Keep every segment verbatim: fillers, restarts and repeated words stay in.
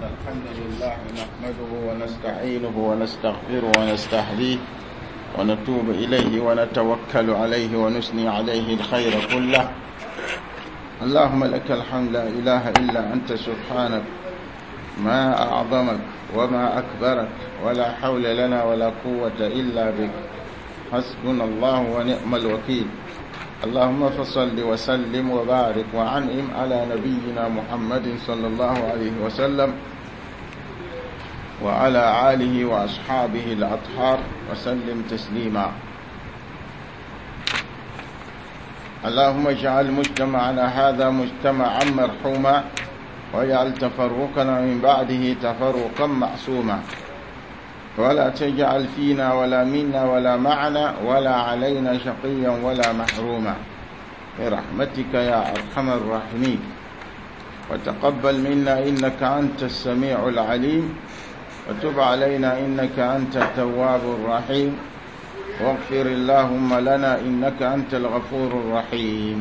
الحمد لله نحمده ونستعينه ونستغفره ونستهديه ونتوب إليه ونتوكل عليه ونثني عليه الخير كله. اللهم لك الحمد، لا إله إلا أنت، سبحانك، ما أعظمك وما أكبرك، ولا حول لنا ولا قوة إلا بك، حسبنا الله ونعم الوكيل. اللهم فصل وسلم وبارك وعنعم على نبينا محمد صلى الله عليه وسلم وعلى آله وأصحابه الأطهار وسلم تسليما. اللهم اجعل مجتمعنا هذا مجتمعا مرحوما، واجعل تفرقنا من بعده تفرقا معصوما، ولا تجعل فينا ولا منا ولا معنا ولا علينا شقيا ولا محروما، برحمتك يا أرحم الراحمين. وتقبل منا إنك أنت السميع العليم، وتب علينا إنك أنت التواب الرحيم، واغفر اللهم لنا إنك أنت الغفور الرحيم.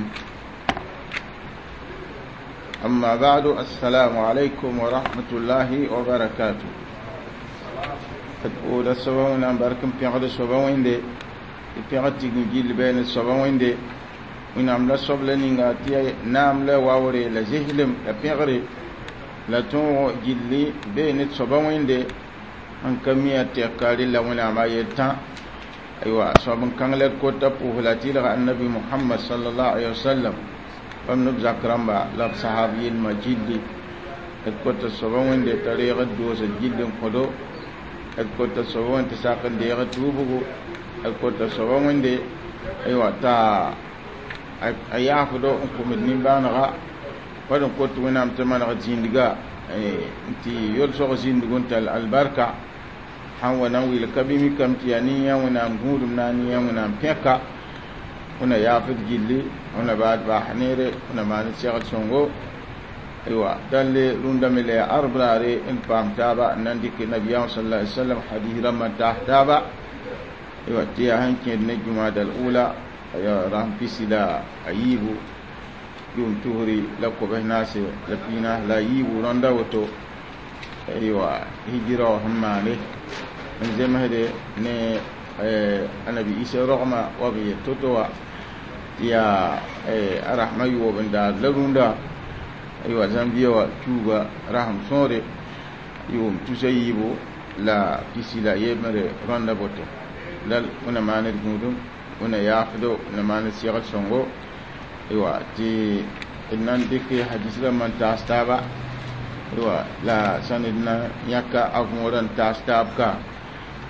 أما بعد، السلام عليكم ورحمة الله وبركاته. D soaba Wẽnnaam bark n pẽgd soaba Wẽnde, tɩ pẽgd tigim gill bɛɛ soaba Wẽnde. Wẽnnaam la soab la ninga tɩ naam la waoore la zeslem la pẽgre la tõog gilli bee ne soaba Wẽnde n ka mi a tɛka rela Wẽnnaam a yel-tã. Aywa, soab n kãng la d kota pʋʋs la tɩlga annabi Muhammad sallallahu alaihi wasallam, bãmb neb zak rãmba la b sahab yelmã gilli. D kota soaba Wẽnde t'a reeg d doosd gill n kõdo. D kota soaba Wẽnd tɩ sak n deeg tuubgo. D kota soaba Wẽnde, aywa, t'a a yaafdo n kʋmd nimbãanega. Wad n kot Wẽnnaam tɩ maneg zĩndga n tɩ yolsg zĩndg n tall albarka sãn wa na n wɩl ka bɩ mikame tɩ yaa nin-yã Wẽnnaam gũudum na n yã Wẽnnaam pẽka. Wẽna yaafd gilli, wẽna baad baas neere, wẽna maan segl sõngo. Aywa, dãlle rũndã me la yaa arb raare n paam taaba n na n dɩk nabiyaam sallallahu alaihi wasallam hadis rãmbã n taas taaba. Aywa, tɩ yaa sẽn kẽed ne jumada al-ula ya rasem pisi la a yiibu yʋʋm tusri la kobs naase la piinaas la a yiibu rãnda woto. Aywa, hijira wã sẽn maane n zemsde ne anabi Isa rogma wa b yel to-to wã tɩ yaa a rasmã yoob n daad la rũndã. Aywa, zãmbia wã tuuga rasem sõore yʋʋm tusa yiibu la pisi la yembre rãnda boto. La wẽna maan d gũudum, wẽna yaafdo, wẽna maan d segl sõngo. Aywa, tɩ d na n dɩk hadis rãmbã n taas taaba. Aywa, la sãn d na yãka a võorã n taas taab ka,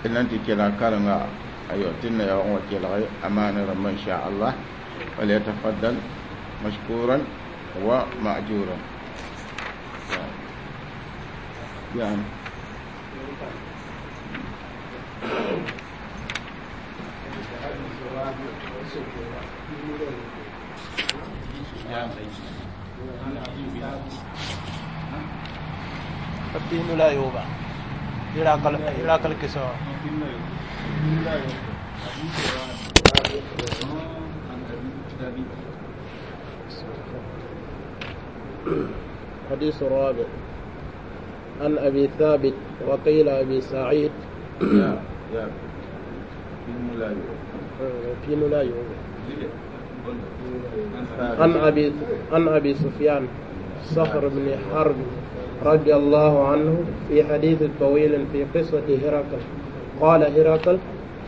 d na n tɩ kelg karenga. Aywa, tɩ d na yaoog n wa kelge a maana rãmbã insha Allah. فليتفضل مشكورا ومأجورا. يعني الدين لا يوبا إراك الكسوة. حديث رابع عن أبي ثابت وقيل أبي سعيد. لا يوبا. عن أبي عن أبي سفيان صخر بن حرب رضي الله عنه في حديث طويل في قصة هرقل. قال هرقل: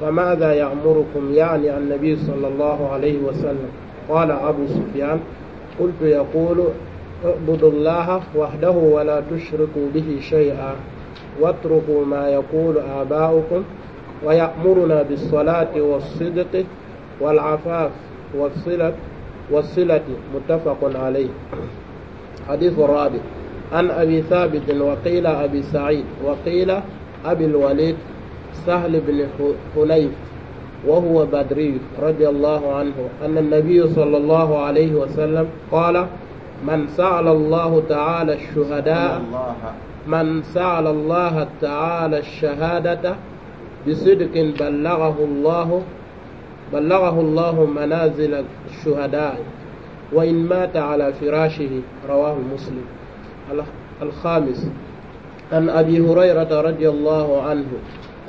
فماذا يأمركم؟ يعني النبي صلى الله عليه وسلم. قال أبو سفيان: قلت يقول اعبدوا الله وحده ولا تشركوا به شيئا، واتركوا ما يقول آباؤكم، ويأمرنا بالصلاة والصدق والعفاف والصلة والصلة. متفق عليه. حديث الرابع عن أبي ثابت وقيل أبي سعيد وقيل أبي الوليد سهل بن حنيف وهو بدري رضي الله عنه أن النبي صلى الله عليه وسلم قال: من سأل الله تعالى الشهداء من سأل الله تعالى الشهادة بصدق بلغه الله بلغه الله منازل الشهداء وإن مات على فراشه. رواه مسلم. الخامس عن أبي هريرة رضي الله عنه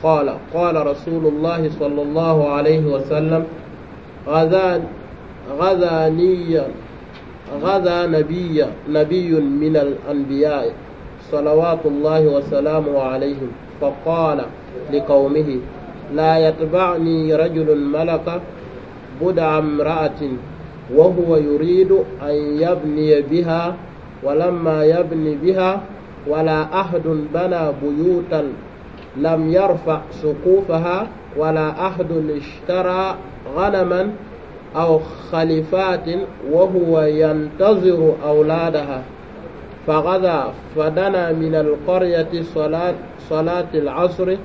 قال قال رسول الله صلى الله عليه وسلم غزا غزاني غزا نبي نبي من الأنبياء صلوات الله وسلامه عليهم فقال لقومه لا يتبعني رجل ملك بدع امرأة وهو يريد أن يبني بها ولما يبني بها ولا أحد بنى بيوتا لم يرفع سقوفها ولا أحد اشترى غنما أو خلفات وهو ينتظر أولادها فغدا فدنا من القرية صلاة, صلاة العصر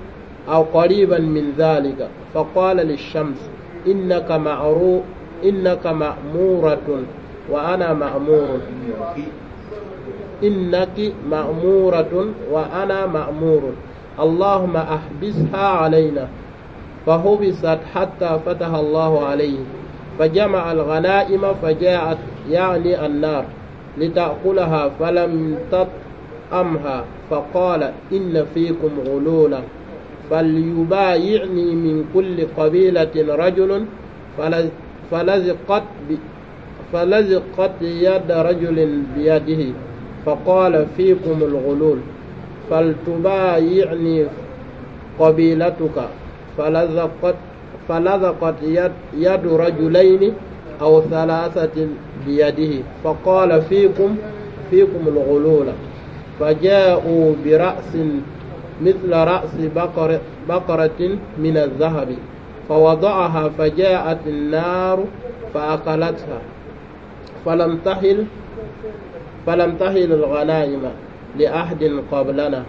أو قريبا من ذلك فقال للشمس إنك معرو إنك مأمورة وأنا مأمور إنك مأمورة وأنا مأمور اللهم أحبسها علينا فحبست حتى فتح الله عليه فجمع الغنائم فجاءت يعني النار لتأكلها فلم تطعمها فقال إن فيكم غلولا فليبايعني من كل قبيلة رجل فلزقت فلزقت يد رجل بيده فقال فيكم الغلول فلتبايعني قبيلتك فلزقت فلزقت يد, يد رجلين أو ثلاثة بيده فقال فيكم فيكم الغلول فجاءوا برأس مثل رأس بقر بقرة من الذهب فوضعها فجاءت النار فأكلتها فلم تحل فلم تحل الغنائم لأحد قبلنا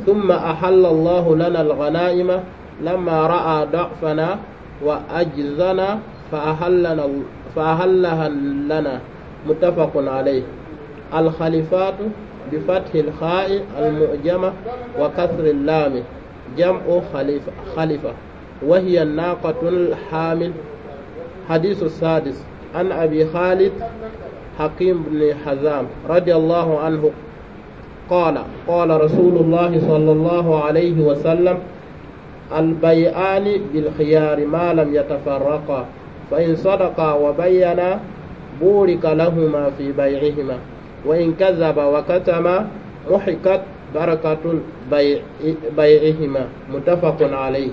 ثم أحل الله لنا الغنائم لما رأى ضعفنا وأجزنا فأحلنا فأحلها لنا متفق عليه الخليفات بفتح الخاء المؤجمة وكسر اللام جمع خليفة, خليفة وهي الناقة الحامل حديث السادس عن أبي خالد حكيم بن حزام رضي الله عنه قال قال رسول الله صلى الله عليه وسلم البيعان بالخيار ما لم يتفرقا فإن صدقا وبينا بورك لهما في بيعهما وإن كذب وكتما محقت بركة بيع بيعهما متفق عليه.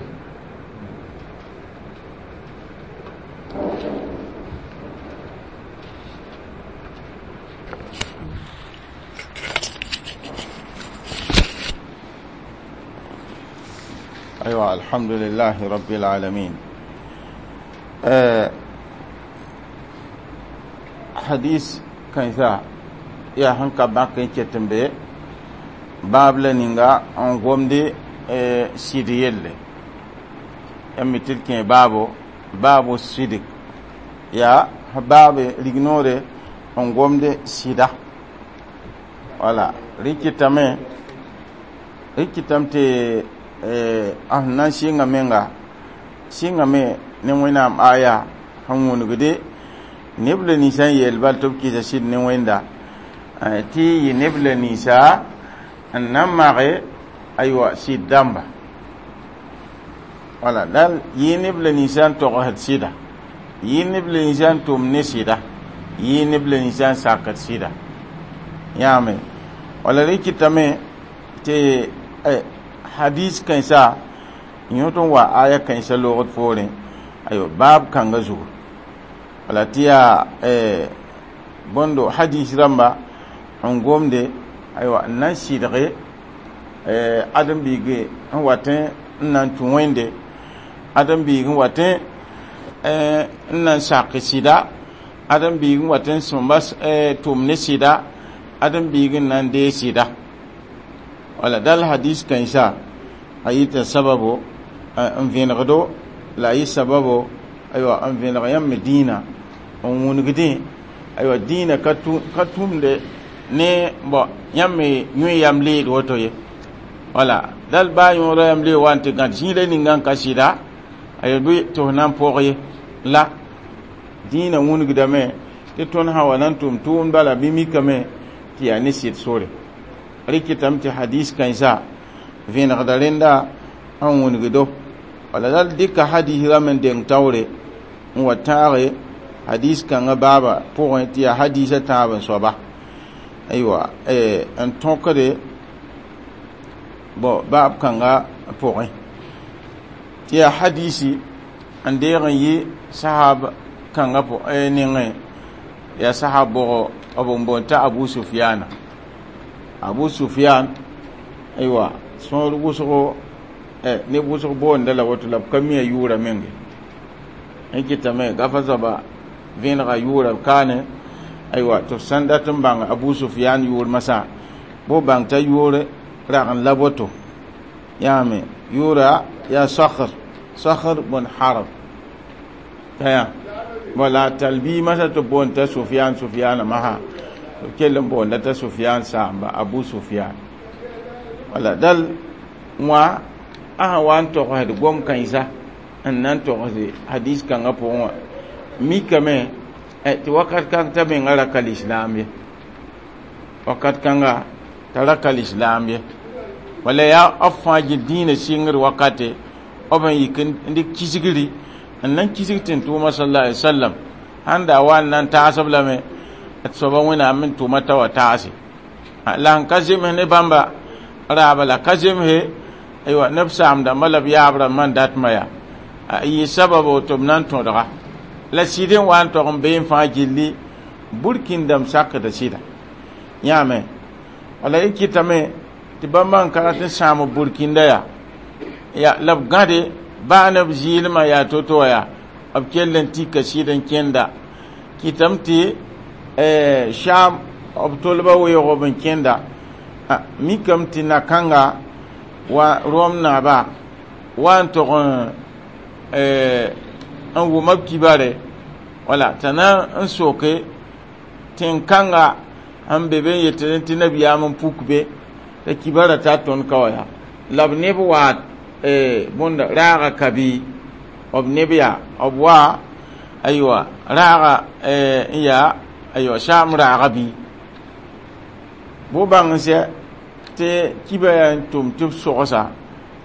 أيوة الحمد لله رب العالمين. أه حديث كنسا يا هنكا باكين كتنبي باب لنينغا أنغومدي أه سيديل يمي تلكين بابو بابو الصدق يا باب لغنوري أنغومدي سيدا ولا ريكي تامي ريكي تامتي a sẽn na n sɩnga menga sɩngame ne wẽnnaam aya sẽn wũnugde neb la ninsã n yeel bal tɩ b kɩsa sɩd ne wẽnda tɩ yɩ neb la ninsa n na n mage aywa sɩd dãmba wala dal yɩ neb la ninsã n togsd sɩda yɩ neb la ninsã n tʋm ne sɩda yɩ neb la ninsã n sakd sɩda yãame wala rẽ kɩtame tɩ hadis kãensa yõ tõn wa aya kãensa loogd poorẽ ayo baab kãnga zugu wala tɩ yaa bõndo hadis rãmba n gomde aywa n na n sɩdge ãdem-biig n watẽ n na n tũ wẽnde ãdem-biig n watẽ n na n sak sɩda ãdem-biig n watẽ n sõmba tʋm ne sɩda ãdem-biig n na n dee sɩda wala dal hadis kãensa a yɩta sababo n vẽnegdo la a yɩ sababo aywa n vẽneg yãmb me dĩinã n wũnugdẽ aywa dĩinã ka tũmde ne bõ yãmb me yũ yam leed woto ye wala dal baa yõoda yam leed wa n tɩ gãd zĩiga ninga n ka sɩda aywa bɩ tɩ f na n pʋg ye la dĩinã wũnugdame tɩ tõnd sã wa na n tʋm tʋʋmd bala bɩ mikame tɩ yaa ne sɩd sore. Rɩkɩtame tɩ hadis kãensa vẽenegda rẽnda n wĩnigdo. Wala la d dɩka hadis rãmb n deng taoore n wa tãage hadis kãngã baaba pʋgẽ tɩ yaa hadisã tãab n soaba, aywa, n tõkde bon baab kãnga pʋgẽ tɩ yaa hadisi n deeg n yɩ sahab kãngã nengẽ, yaa sahab bʋgo b n boond t'a Abu Sufiana. Abu Sufian, aywa, sõor wʋsgo neb wʋsg boonda la woto la b ka mi a yʋʋra menge n kɩtame gafa soaba vẽenega yʋʋra kaane. Aywa, tɩ f sãn dat n bãng Abu Sufian yʋʋr masã, bo bãng t'a yʋʋr rag n la woto yãame yʋʋra yaa Sakr, Sakr bun Harb t'a wala talbi masã tɩ b boond t'a Sufian, Sufiana masã tɩ b kell n boonda t'a Sufian saamba Abu Sufian. Wala dal wã a sã wa n togsd gom kãensa n na n togsd hadis kãngã pʋgẽ wã mikame tɩ wakat kãng t'a menga ra ka lislaam ye, wakat kãnga t'a ra ka lislaam ye. Wala yaa b fãa gil dĩinã sɩngr wakate b n yik n dɩk kisgri n na n kisg tẽn-tʋʋma sallallahu alaihi wasallam sãn da wa n na n taas-b lame d soaba Wẽnnaam n tʋma t'a wa taase la sẽn ka zems ne bãmba raaba la ka zemse. Aywa, neb saam-dãmbã la b yaab rãmbã n datmã yaa yɩ sababo tɩ b na n tõdga la sɩd n wa n tog n bee n fãa gilli burkĩndame sakda sɩda yãame. Wala y kɩtame tɩ bãmba n ka rat n sãam b burkĩnda yaa ya la b gãde baa ne b zɩɩlmã yaa to-to wã yaa b kell n tika sɩd n kẽnda kɩtame tɩ Sham b tolba weoog b n kẽnda mikame tɩ na-kãnga wa Rom naaba wa n tog n wʋma b kibare wala t'a na n soke tẽn-kãnga sẽn be be n yetɩ tɩ nabiyaam n puk be t'a kibara t'a tõnd ka wa yaa la b neb wa bõnda raaga ka bi b neb yaa b wa, aywa, raaga n yaa, aywa, Saam raaga bɩ bo bãng n sɛ tɩ kiba yaa n tʋm tɩ b sogsa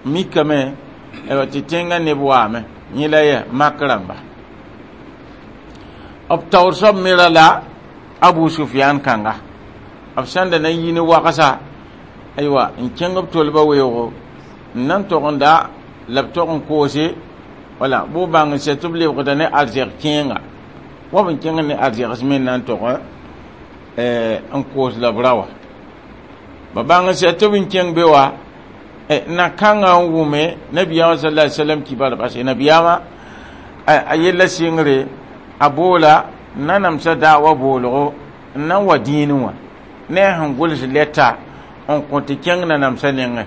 mikame, aywa, tɩ tẽngã neb waame yẽ la yɛ mak rãmba b taoor soab me ra la Abu Sufian kãnga b sẽn da na n yi ne wagsa, aywa, n kẽng b tolba weoogo n na n tog n da la b tog n koose wala bʋ bãng n sɛ tɩ b lebgda ne arzɛg kẽenga wa b n kẽng ne arzɛgs me na n tog n koos la b ra wa ba bãng n sɛ tɩ b n kẽng be wa na-kãngã n wʋme nabiyaamã sallallahu alaihi wasallam kibar base nabiyaamã a yella sɩngre a boola n na namsa daawa boolgo n na n wa dĩinẽ wã ne a sẽn gʋls lɛta n kõ tɩ kẽng na namsã nengẽ.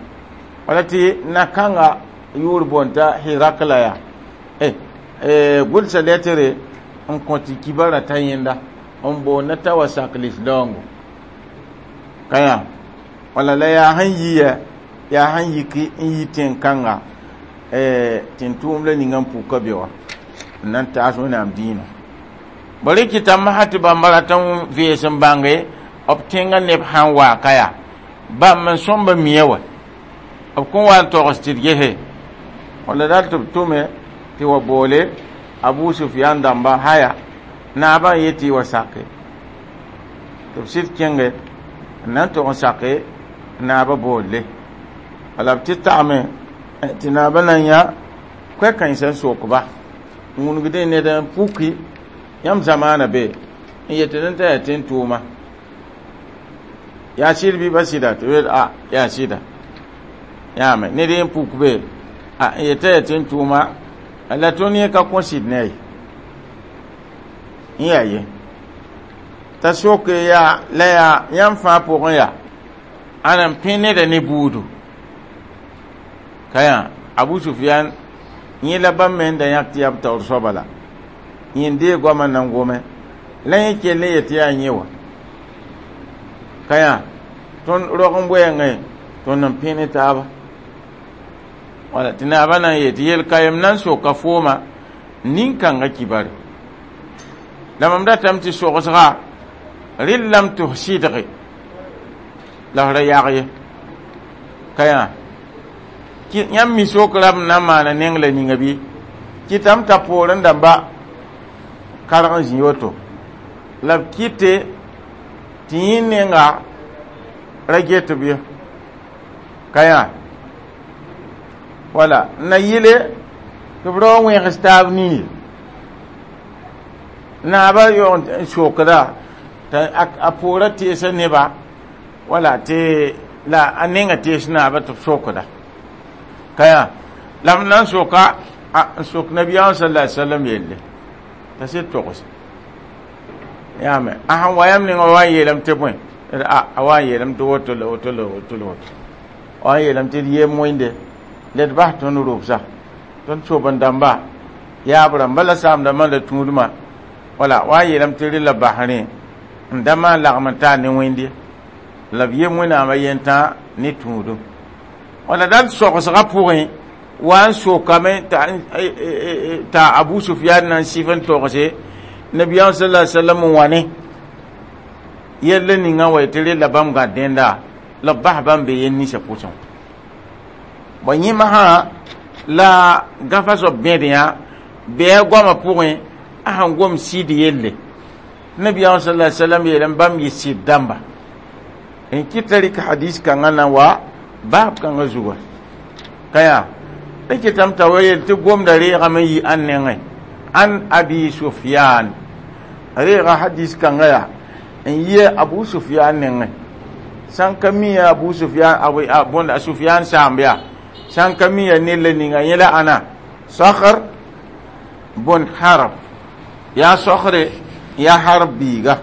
Wala tɩ na-kãnga yʋʋr boond t'a Hirakla yaa gʋlsa lɛtre n kõ tɩ kibara ta yẽnda n boonda t'a wa sak lislaoongo ka yã. Wala la yaa sẽn yi yaa sẽn yik n yi tẽn-kãnga tẽn-tʋʋm la ninga n puka be wã n na n taas Wẽnnaam dĩinã. Ba rɩkɩtame sã tɩ bãmba rat n vees n bãnge b tẽngã neb sãn waa ka yaa bãmb n sõmba mia wa b kõn wa n togs tɩ d gese wala dal tɩ b tʋme tɩ wa boole Abu Sufian dãmba haya naabã n yetɩ y wa sake tɩ b sɩd kẽnge n na n tog n sake naabã boolle. Wala b tɩ tagme tɩ naabã na n yã koɛ-kãensã n sokba n wũnigdẽ ned n puki yãmb zamaana be n yetɩ t'a yaa tẽn-tʋʋma yaa sɩd bɩ ba sɩda tɩ b a yaa sɩda yãame ned n puk be a n yetã yaa tẽn-tʋʋma la tõnd yẽ ka kõ sɩd ne a ye n yaa ye t'a soke yaa la yaa yãmb fãa pʋgẽ yaa ãna n pẽ neda ne buudu ka yã Abu Sufian yẽ la bãmb me n da yãk tɩ yaa b taoor soaba la yẽ n deeg goamã na n gome la yẽ kell n yet tɩ yaa yẽ wa ka yã tõnd rog n wɛɛngẽ tõnd n pẽ ne taaba. Wala tɩ naabã na n yet tɩ yel kayem na n soka fooma nin-kãngã kibare la mam datame tɩ sogsga rɩllame tɩ f sɩdge. La f ra yag ye ka yã yãmb mi sok rãmb na n maana neng la ninga bɩ kɩtame t'a poorẽ dãmba karg n zĩ woto la b kɩte tɩ yẽ nenga ra get b ye ka yã wala na yɩle tɩ b ra wa wẽgs taab nini naaba yaoog n sokda t'a a poorã teesa neba wala tɩ la a nenga tees naaba tɩ b sokda ka yã la m na n soka n sok nabiyaamã sallallahu alaihi wasallam yelle t'a sɩd togs yaame a sẽn wa yãmb ninga wa n yeelame tɩ bõe a wa n yeelame tɩ woto la woto la woto la woto wa n yeelame tɩ d yem wẽnde la d bas tõnd rʋbsa tõnd sob n dãmba yaab rãmba la saam-dãmbã la tũudmã wala wa n yeelame tɩ rɩ la bas rẽ n da maan lagm n taa ne wẽnde la b yem wẽnnaamã yentã ne tũudum wala dal sogsgã pʋgẽ wa n sokame t'a Abu Sufyan na n sɩf n togse nabiyaam sallallahu alaihi wasallam n wa ne yella ninga wa tɩ rella bãmb gãd dẽnda la b bas bãmb be yel ninsã pʋsẽ bõe yẽ masã la gãfa soab bẽd yã bɩa goamã pʋgẽ a sẽn gom sɩd yelle nabiyaam sallallahu alaihi wasallam yeelame bãmb yɩ sɩd dãmba n kɩta rɩk hadis kãngã na wa baab kãngã zuga ka yaa d kɩtame t'a wa yel tɩ gomda reegame n yi ãn nengẽ an Abi Sufyan reega hadis kãngã yaa n yi Abu Sufyan nengẽ sãn ka mi ya Abu Sufyan bõnd a Sufyan saamb yaa sãn ka mi ya ned la ninga yẽ la ãna Sakhr bõn Harb yaa Sokre yaa Harb biiga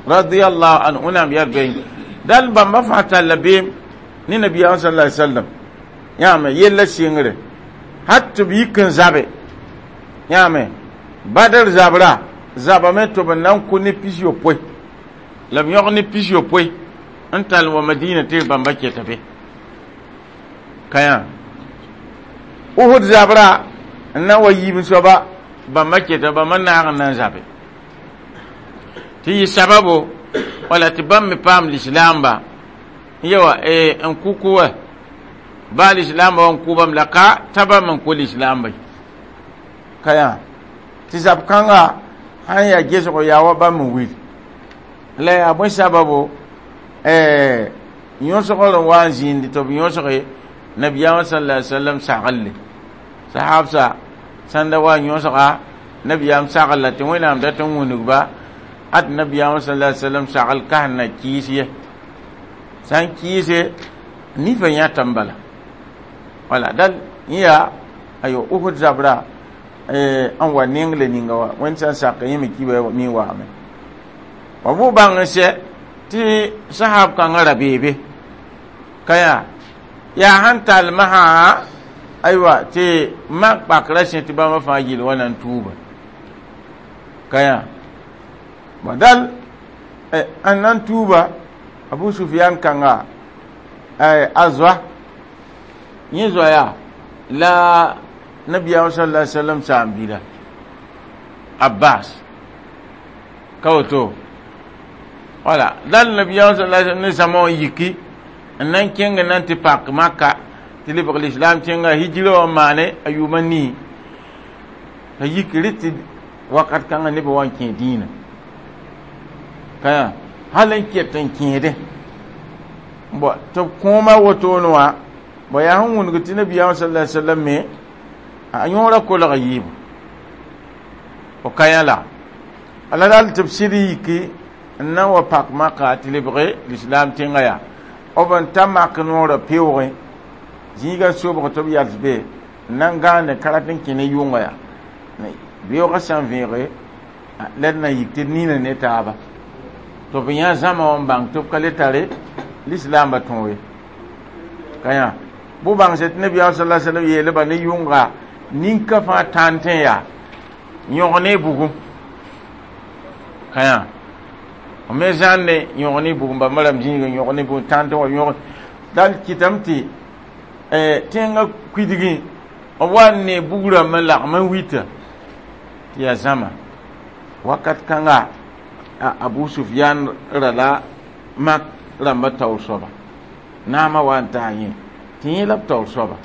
radiyallahu anhu wẽnnaam yaa bɩ dal bãmba fãa talla beem ne nabiyaam sallallahu alaihi wasallam yãame yella sɩngre hat tɩ b yik n zabe yãame Badr zabra zabame tɩ b na n kʋ ne pis yopoe la b yõg ne pis yopoe n tall wa Madina tɩ bãmba keta be ka yã Uhud zabra n na wa yiib soaba bãmba keta bãmba naag n na n zabe tɩ yɩ sababo wala tɩ bãmb me paam lislaamba yawa n kuku wa ba lislaamba wa n kʋ bãmb la ka t'a bãmb n kʋ lislaamba ka yã tɩ zab kãnga sãn yaa gesgo yaa wa bãmb n wil la yaa bõe sababo yõsgr n wa n zĩindi tɩ b yõsge nabiyaamã sallallahu alaihi wasallam saglle sahabsa sãn da wa n yõsga nabiyaam saglla tɩ wẽnnaam dat n wũnugba ad nabiyaamã sallallahu alaihi wasallam sagl kas n na kɩɩs ye sã n kɩɩse nifã yãtame bala wala dal yẽ yaa ayo Uhud zabra n wa neng la ninga wa wẽnd sã n sak yẽ me kiba mi waame wa bʋ bãng n sɛ tɩ sahab kãngã ra beebe ka yaa yaa sãn tall masã aywa tɩ mak pakrã sẽ tɩ bãmba fãa yɩl wa na n tuuba ka yaa bõ dal n na n tuuba Abu Sufyan kãnga a zoa yẽ zoa yaa la nabiyaam sallallahu alaihi wasallam saam-biida Abbas ka woto wala dal nabiyaam sallallahu alaihi wasallam ne zãma wã yiki n na n kẽng n na n tɩ pak Maka tɩ lebg lislam tẽnga hijira wã n maane a yʋʋma nii t'a yik rɩ tɩ wakat kãngã nebã wa n kẽ dĩinã ka yã hal n ket n kẽede bõ tɩ b kõoma wotone wã bõ yaa sẽn wũnug tɩ nabiyaam sallallahu alaihi wasallam me a yõora kolg yiibu f ka yã la ala dal tɩ b sɩd yiki n na n wa pak Maka tɩ lebge lislam tẽngã yaa b n ta mak noorã peoogẽ zĩigã sobg tɩ b yals be n na n gãande ka rat n kẽ ne yʋnga yaa beoogã sã n vẽege la d na yik tɩ d nina ne taaba tɩ b yã zãma wã n bãng tɩ b ka le tare lislaambã tõog ye ka yã bʋ bãngse tɩ nabiyaam sallallahu alaihi wasallam yeelba ne yʋnga ninka fãa tãntẽ yaa yõg ne bugum ka yã f me zãnne yõg ne bugum bãmba rãmb zĩigã yõg ne bugum tãntẽ wa yõg dal kɩtame tɩ tẽngã kuidgẽ b wa n ne bug rãmb n lagm n wita tɩ yaa zãma wakat kãnga Abu Sufyan ra la mak rãmba taoor soaba naamã wa n taa yẽ tɩ yẽ la b taoor soaba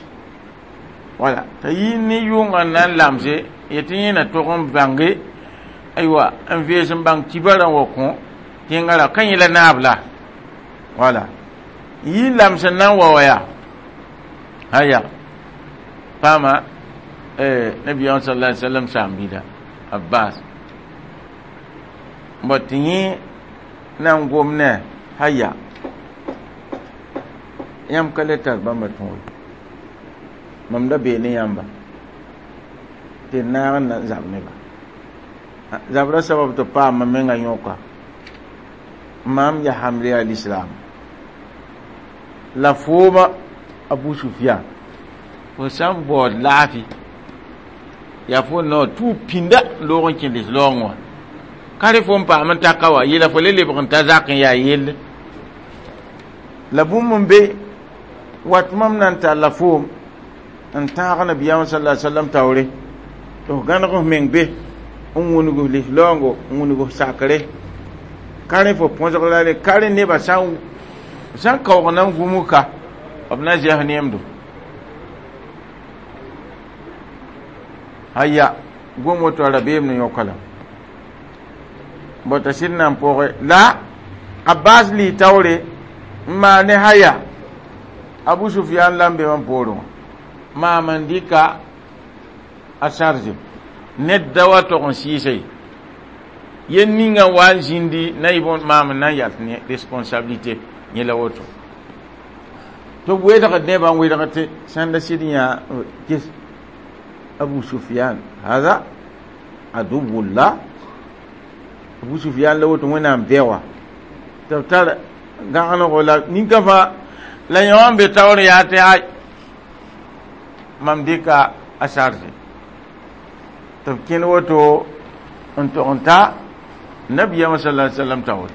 wala t'a yi ne yʋngã n na n lamse yetɩ yẽ na tog n bãnge aywa n vees n bãng kibarã wa kõ tẽngã ra ka yẽ la naab la wala yi lams n na n wa wa yaa aya paama nabiyaam sallallahu alaihi wasallam saam-biida Abbas bõ tɩ yẽ na n gom ne haya yãmb ka le tar bãmba tõore mam da bee ne yãmba tɩ naag n na n zab neba zabra sabab tɩ paam mam menga yõka mam ya hamle al islam la fooma Abu Sufyan fo sã n baood laafi yaa fo nao tʋʋ pĩnda loog n kẽ lislaoongẽ wã ka rẽ fo n paam n taka wa yeela fo le lebg n ta zak n yaa yelle la bũmb n be wat mam na n talla foom n tãag nabiyaamã sala sallam taoore tɩ f gãneg f meng be n wũnug f lislaoongo n wũnug f sakre ka rẽ fo põsg la re ka rẽ nebã sã n kaoog na n gũmg ka b na zɛs neemdo aya gom woto a rabeem ne yõka la bõ t'a sɩd na n pʋgẽ la Abbas lɩ taoore n maan ne haya Abu Sufyan la n be mam poorẽ wã maam n dɩka a sarze ned da wa tog n sɩɩsa ye yel ninga wa n zĩndi na yɩ bõn maam n na n yals ne responsabilité yẽ la woto tɩ b weedgd nebã n wedg tɩ sãn da sɩd yã ges Abu Sufyan hada aduwullah Abu Sufyan la woto wẽnnaam bɛwa tɩ b tar gãgenego la ninka fãa la yõ n be taoor yaa tɩ ay mam dɩka a sarze tɩ b kẽnd woto n tog n ta nabiyaamã sala alai sallam taoore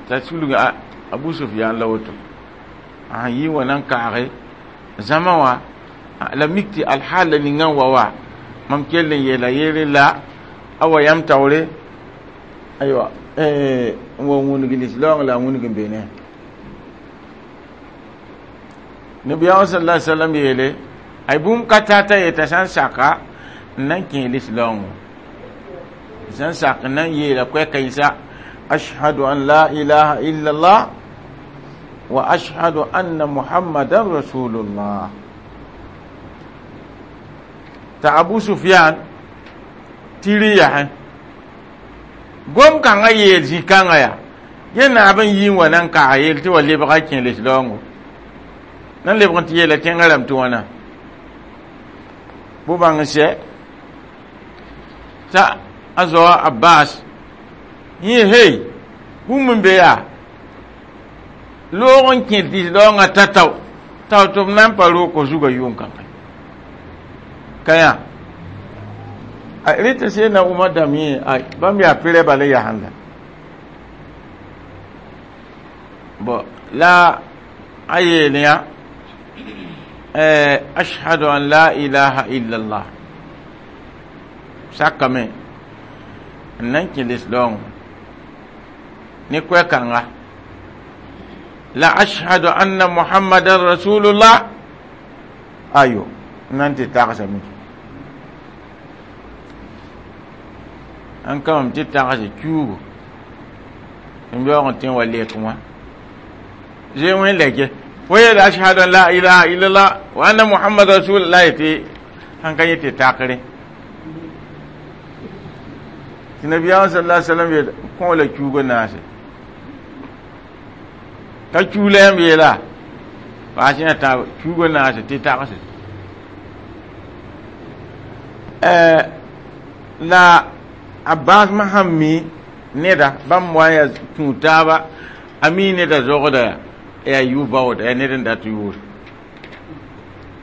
t'a sulg Abu Sufyan la woto a yɩ wa na n kaage zãma wã la mik tɩ alhaal la ninga n wa wa mam kell n yeela yere la a wa yãmb taoore aywa n wa wũnug lislaoong la a wũnug n be ne nabiyaamã sala alai sallam yeele ay bũmb ka tata yeta sã n saka n na n kẽ lislaoongõ sã n sak n na n yeela koɛɛ-kãensa ashhadu an la ilaha illallah wa ashhadu anna muhammadan rasulullah t'a Abu Sufyan tɩ yasẽ gom kãngã yeel zĩ-kãngã yaa yẽ naab n yi n wa na n kaag yeel tɩ wa lebga kẽ lislaoongo na n lebg n tɩ yeela tẽngã rãmb tɩ wãna bʋ-bãng n sɛ t'a a zoa Abbas yẽ hey bũmb n be yaa loog n kẽ lislaoongã ta-tao tao tɩ b na n pa roog zugã yʋʋm kãngã ka yã rẽ tɩ sẽnna Umar dãmb yẽ ay bãmb yaa pɩrɛ bala yasẽnda bõ la a yeel yã ashhadu an la ilaha illallah sakame n na n kẽ lislaoongã ne koɛ-kãnga la ashhadu anna muhammadan rasulullah ayo n na n tɩ tagsame n ka mam tɩ tagse kiuugo n beoog n tẽ wa lek wã zoe wẽ lɛke fo yeela ashhadu an la ilaha illallah wa anna muhammad rasulullah tɩ sãn ka yẽ tɩ takre tɩ nabiyaamã sala sallam yeel kõ la kiuugã naase ka kiu la yãmb yeela paas yã tãab kiuugã naase tɩ tagse la Abbas ma sãn mi neda bãmb wa n yaa tũu taaba a mi neda zogda yaa yʋ-baooda yaa ned n dat yʋʋre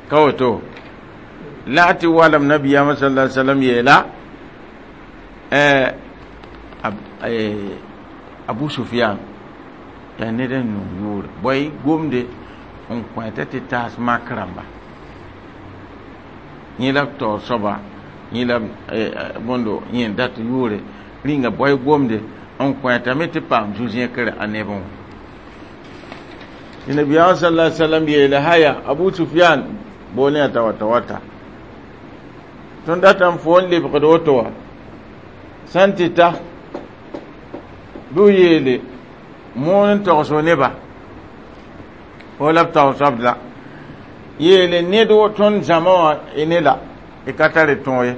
ka woto la a tɩ walam nabiyaamã sala alai sallam yeela Abu Sufyan yaa ned n yõng yʋʋre bõe gomde n kõeta tɩ taas mak rãmba yẽ la b taoor soaba yẽ la bõndo yẽ n dat yʋʋre rĩnga bõe gomde N kõ tame tɩ paam zu-zẽkre a nebẽ wã. Tɩ nabiyaam sala sallam yeele haya Abu Sufyan boolẽ yaa t'a wata wata tõnd datame fo n lebgd woto wã sã n tɩ ta bɩ b yeele moon n togs neba fo la b taoosd la yeele ned tõnd zãma wã ne la y ka tar tõog ye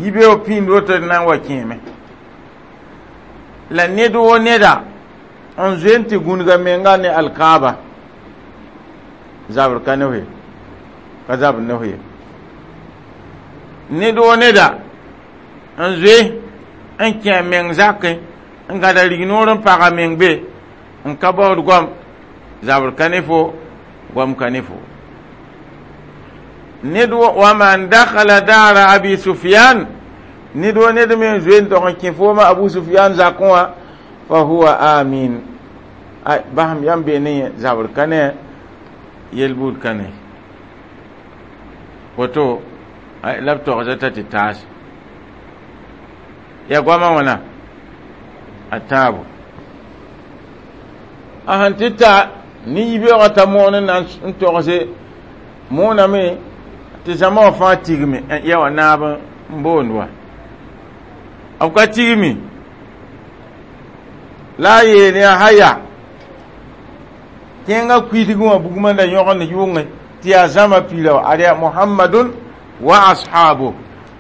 yibeoog pĩnd woto d na n wa kẽeme la ned wo neda n zoe n tɩ gũnga menga ne alkaaba zabr ka ne ye ka zabr ne ye ned wo neda n zoe n kẽ a meng zakẽ n gãda rignoor n pag a meng be n ka baood goam zabr ka ne fo goam ka ne fo ned wa man dakhala dara Abi Sufyan ned wa ned me n zoe n tog n kẽ fooma Abu Sufyan zakẽ wã fa huwa amin ay basem yãmb bee ne zabr ka ne yel-buud ka ne woto la b togsda t'a tɩ taas ya goamã wãna a tãabo a sẽn tɩ ta ne yibeoogã t'a moon n na n togse mooname tɩ zãma wã fãa tigme ya wã naab n boond wa b ka tigmi la a yeel yaa haya kẽngã kuisg wã bugmã la yõgend yʋngẽ tɩ yaa zãma pila wa ad yaa Muhammadun wa ashabu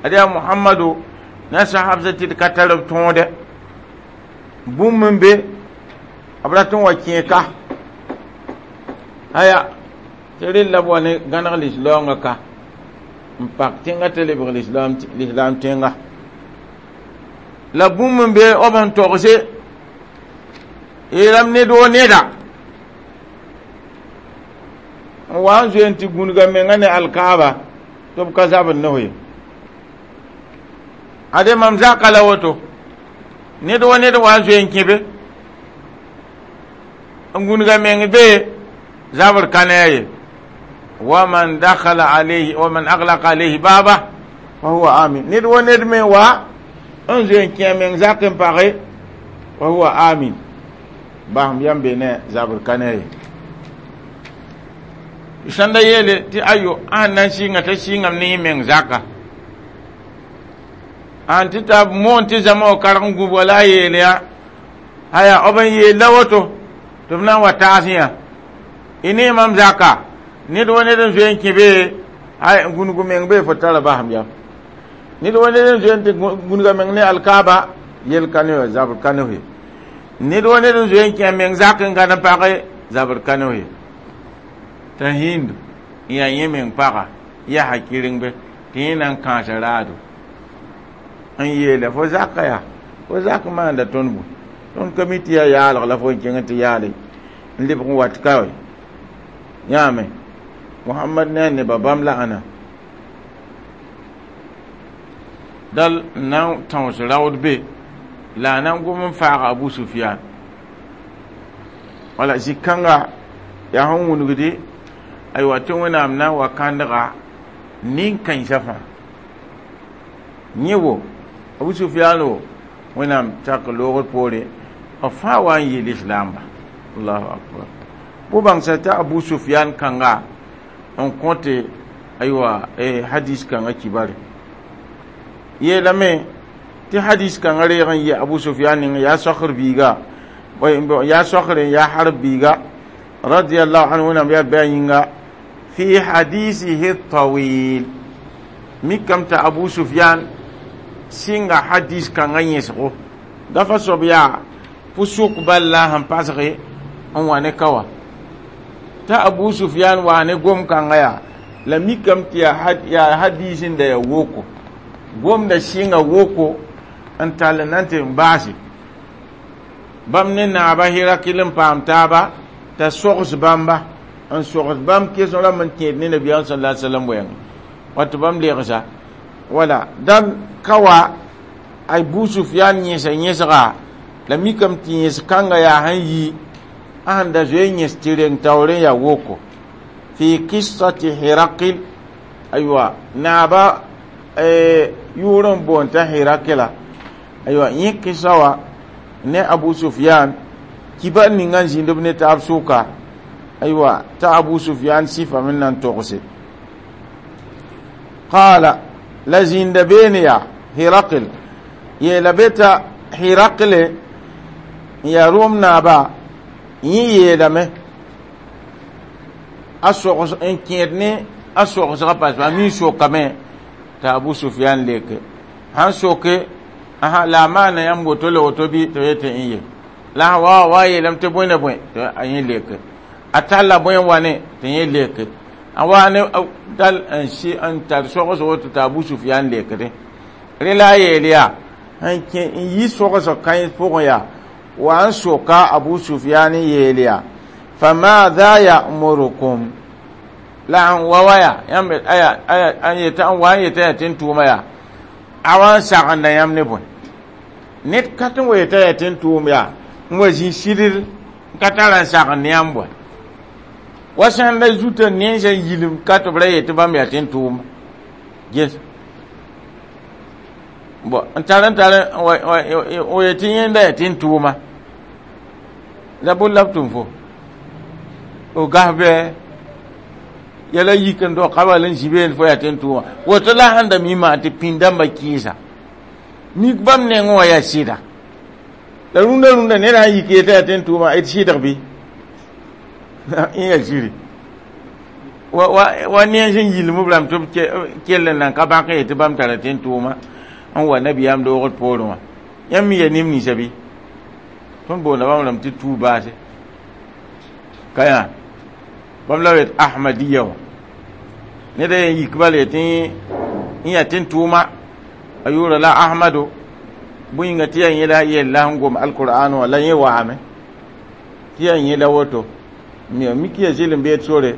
ad yaa Muhammadu na sahabsã tɩ d ka tar b tõode bũmb n be b rat n wa kẽe ka aya tɩ rella b wa ne gãneg lislaoongã ka n pak tẽngã t'a lebg lislaam tẽnga la bũmb n be b sẽn togse yeelame ned wo neda n wa n zoe n tɩ gũnga menga ne alkaaba tɩ b ka zabr ne ye ade mam zaka la woto ned wa ned wa n zoe n kẽ be n gũnga meng be zabr ka ne a ye waman dakhala alayhi waman aglaqa alayhi baba fa huwa amin ned wa ned me wa n zoe n kẽ a meng zak n page fa huwa amin basem yãmb be ne zabr ka ne ye sãn da yeele tɩ ayo a sẽn na n sɩnga t'a sɩngame ne yẽ meng zaka an tɩ ta moon tɩ zãma wã karg n gũbga la a yeel yaa aya b n yeel la woto tɩ b na n wa taas yã y ne mam zaka ned wa ned n zoe n kẽ be ay gũnug meng be fo tara basem yam ned wa ned n zoe n tɩ gũnga meng ne alkaaba yel ka ne zabr ka ne ye ned wa ned n zoe n kẽ a meng zak n gãd n page zabr ka ne ye t'a Hind n yaa yẽ meng paga yaa hakɩreng be tɩ yẽ na n kãasa raado n yeela fo zaka yaa fo zak maanda tõnd bõe tõnd ka mi tɩ yaa yaalg la fo n kẽng tɩ yaale n lebg n wat ka yãame Muhammad ne a nebã bãmb la ãna dal n na n tãoos raood be la a na n gom n faaga Abu Sufyan wala zĩ-kãnga yaa sẽn wũnugdi aywa tɩ Wẽnnaam na n wa kãndga nin-kãensã fãa yẽ wo Abu Sufyan wo Wẽnnaam tak loogr poore b fãa wa n yeel islaamba allahu akbar bʋ bãngsa t'a Abu Sufyan kãnga n kõte aywa hadis kãngã kibare yeelame tɩ hadis kãngã reeg n yɩ Abu Sufyan ning yaa sokr biiga yaa sokr n yaa harb biiga radiyallahu anhu Wẽnnaam yaa bɩ a yĩnga fi hadisihi tawil mikame t'a Abu Sufyan sɩnga hadis kãngã yẽsgo dafa soab yaa pʋsʋk bal la a sẽn pasge n wa ne ka wã t'a Abu Sufyan waa ne gom kãngã yaa la mikame tɩ yaa hadis n da yaa woko gomda sɩnga woko n tall na n tɩ n baase bãmb ne naaba Hirakil n paam taaba t'a sogs bãmba n sogs bãmb kesem rãmb n kẽed ne nabiyaam sala sallam wɛɛngẽ wa tɩ bãmb legsa wala dal ka wa Abu Sufyan yẽsa yẽsga la mikame tɩ yẽs kãnga yaa sẽn yi a sẽn da zoe yẽs tɩ reng taoor n yaa woko fi qissati Hirakil aywa naaba yʋʋr n boond t'a Hirakila Aywa, yẽ kɩsa wa ne Abu Sufyan kibar ninga n zĩnd b ne taab sʋka. Aywa, t'a Abu Sufyan sɩfame n na n togse. Qala, la zĩnda beene yaa Hirakl yeela be t'a Hirakle n yaa Rom naaba. Yẽ yeelame a sogs n kẽed ne a sogsga, parce a mi sokame t'a Abu Sufyan leke sãn soke aha la a maana yãmb woto la woto bɩ tɩ yetɩ n ye la wa wa yeelame tɩ bõe na bõe tɩ a yẽ leke a talla bõe n wa ne tɩ yẽ leke a wa ne dal n sɩ n tar sogs woto t'a Abu Sufyan lekdẽ. Rẽ la a yeel yaa n kẽ n yi sogsg kãens pʋgẽ yaa wa n soka Abu Sufyan n yeel yaa: famadha ya'murukum? La n wa wa yaa yãmb aya aya n yeta n wa n yeta yaa tɩ n tʋʋma yaa a wa n sagenda yãmb ne bõe? Ned ka tɩ n wa yeta yaa tɩ n tʋʋm yaa n wa zĩ sidr n ka tara n sagend ne yãmb bõe wa sãn la zuta nensã yilem ka tɩ b ra yetɩ bãmb yaa tɩ n tʋʋma ges bon n tar n tar o yetɩ yẽnda yaa tɩ n tʋʋma la bʋ la b tʋm fo o gas bɩ yɛla yik n dog ka bal n zĩ beene fo yaa tɩ n tʋʋma woto la sãn da mi maan tɩ pĩnd-dãmbã kɩɩsa mik bãmb nengẽ wã yaa sɩda la rũndã rũndã ned sã n yik yetɩ yaa tɩ n tʋʋma d sɩdg bɩ n yaa ziri wa wa wa nens n yilm b rãmb tɩ b kell n nan ka bãk n yetɩ bãmb tara tɩ n tʋʋma n wa nabiyaam doogd poorẽ wã. Yãmb mi yaa neb ninsã bɩ tõnd boonda bãmb rãmb tɩ tuu baase ka yã bãmb la yet Ahmadiya wã ned a yen yik bala yetɩ n yaa tɩ n tʋʋma a yʋʋra la Ahmado bõe yĩnga tɩ yaa yẽla yella sẽn gom alqur'an wã la yẽ waame tɩ yaa yẽla woto mi mik ya zɩl n beed sore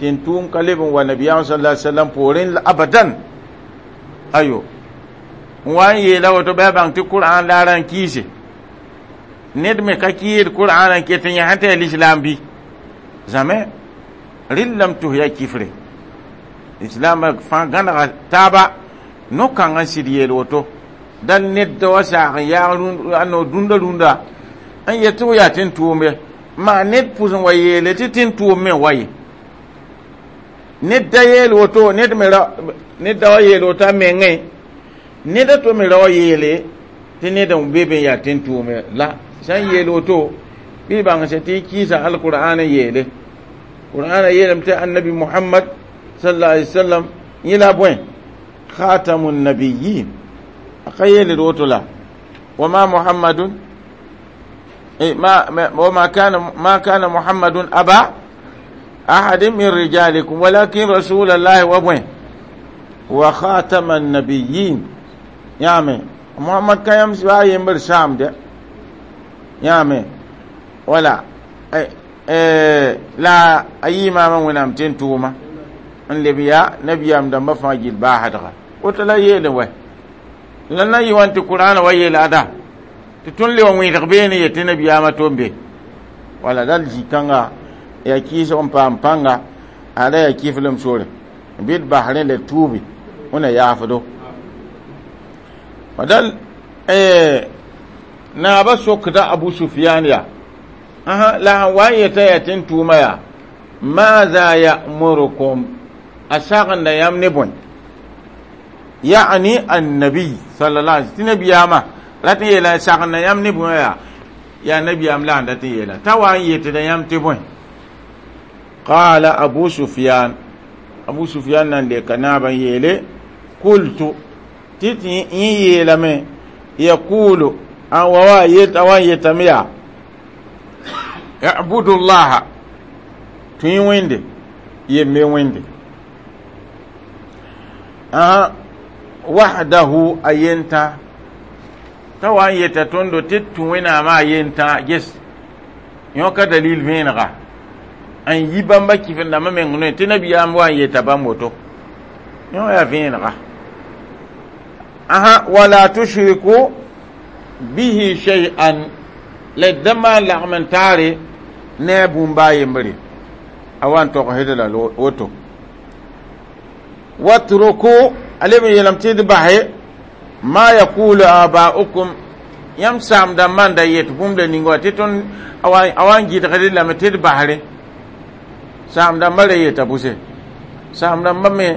tɩ n tʋʋm ka leb n wa nabiyaam sallallahu alaihi wasallam poorẽ abadan. Ayo, n wa n yeela woto bɩ a bãng tɩ Qur'an laara n kiise ned me ka kɩɩd Qur'an n ket n yã sẽn tɩ yaa l'islam bɩ zame rɩllam tos yaa kifre islam fãa gãnega taaba no-kãng n sɩd yeel woto da ned da wa saag n yaag no rũndã rũndã n yet tɩ f yaa tɩ n tʋʋm ye maa ned pʋs n wa yeele tɩ tɩ n tʋʋm me wa ye ned da yeel woto ned me ra ned da wa yeel woto a mengẽ ned a to me ra wa yeele tɩ ned n be be n yaa tɩ n tʋʋm la sã n yeel woto bɩ bãng sã tɩ kɩɩsa alqur'an n yeele qur'an yeelame tɩ annabi Muhammad sallallahu alaihi wasallam yẽ la bõe khatamun nabiyyin a ka yeeled woto la wama Muhammadun ما وما كان ما كان محمد أبا أحد من رجالكم ولكن رسول الله وبوين وخاتم النبيين. يامي محمد كان يمشي يمبر شام ده يامي ولا اي اي لا أي ما من ونام تنتوما ان لبيا نبيام دم فاجل باحدغا وتلا يلوه لنا يوانت القرآن ويل أدا tɩ tõnd le wa wẽedg beene yetɩ nabiyaamã tom be wala dal zĩ-kãnga yaa kɩɩsg n paam pãnga ada yaa kiflem sore bɩ d bas rẽ la tuubi wẽna yaafdo dal naaba sokda Abu Sufyan yaa aha la sãn wa n yeta yaa tɩ n tʋʋma yaa maza ya'murukum a sagenda yãmb ne bõe ya'ni annabiy sallallahu alaihi tɩ nabiyaamã rat n yeela sagenda yãmb ne bõe yaa yaa nabiyaam la n dat n yeela t'a wa n yetda yãmb tɩ bõe. Qala Abu Sufyan, Abu Sufyan nan leka naabã n yeele qultu tɩ tɩ yẽ yeelame yaqulu an wa wa yet a wa n yetame yaa ibudu llaha tũ wẽnde yembe wẽnde aha wahdahu a yentã t'a wa n yeta tõndo tɩ tũ wẽnnaamã a yentã ges yõka dalil vẽenega n yi bãmba kɩf-n-dãmbã meng noe tɩ nabiyaam wa n yeta bãmb woto yõ yaa vẽenega aha wala tushriku bihi shay'an la d da maan lagm n taare ne a bũmba a yembre a wa n togsd la woto watruku a leb n yeelame tɩ d base Ma yaqulu aba'ukum yãmb saam dãmbã n da yet bũmb la ninga wã tɩ tõnd a wa n gɩdgd lame tɩ d basre saam dãmbã ra yeta bʋse saam dãmbã me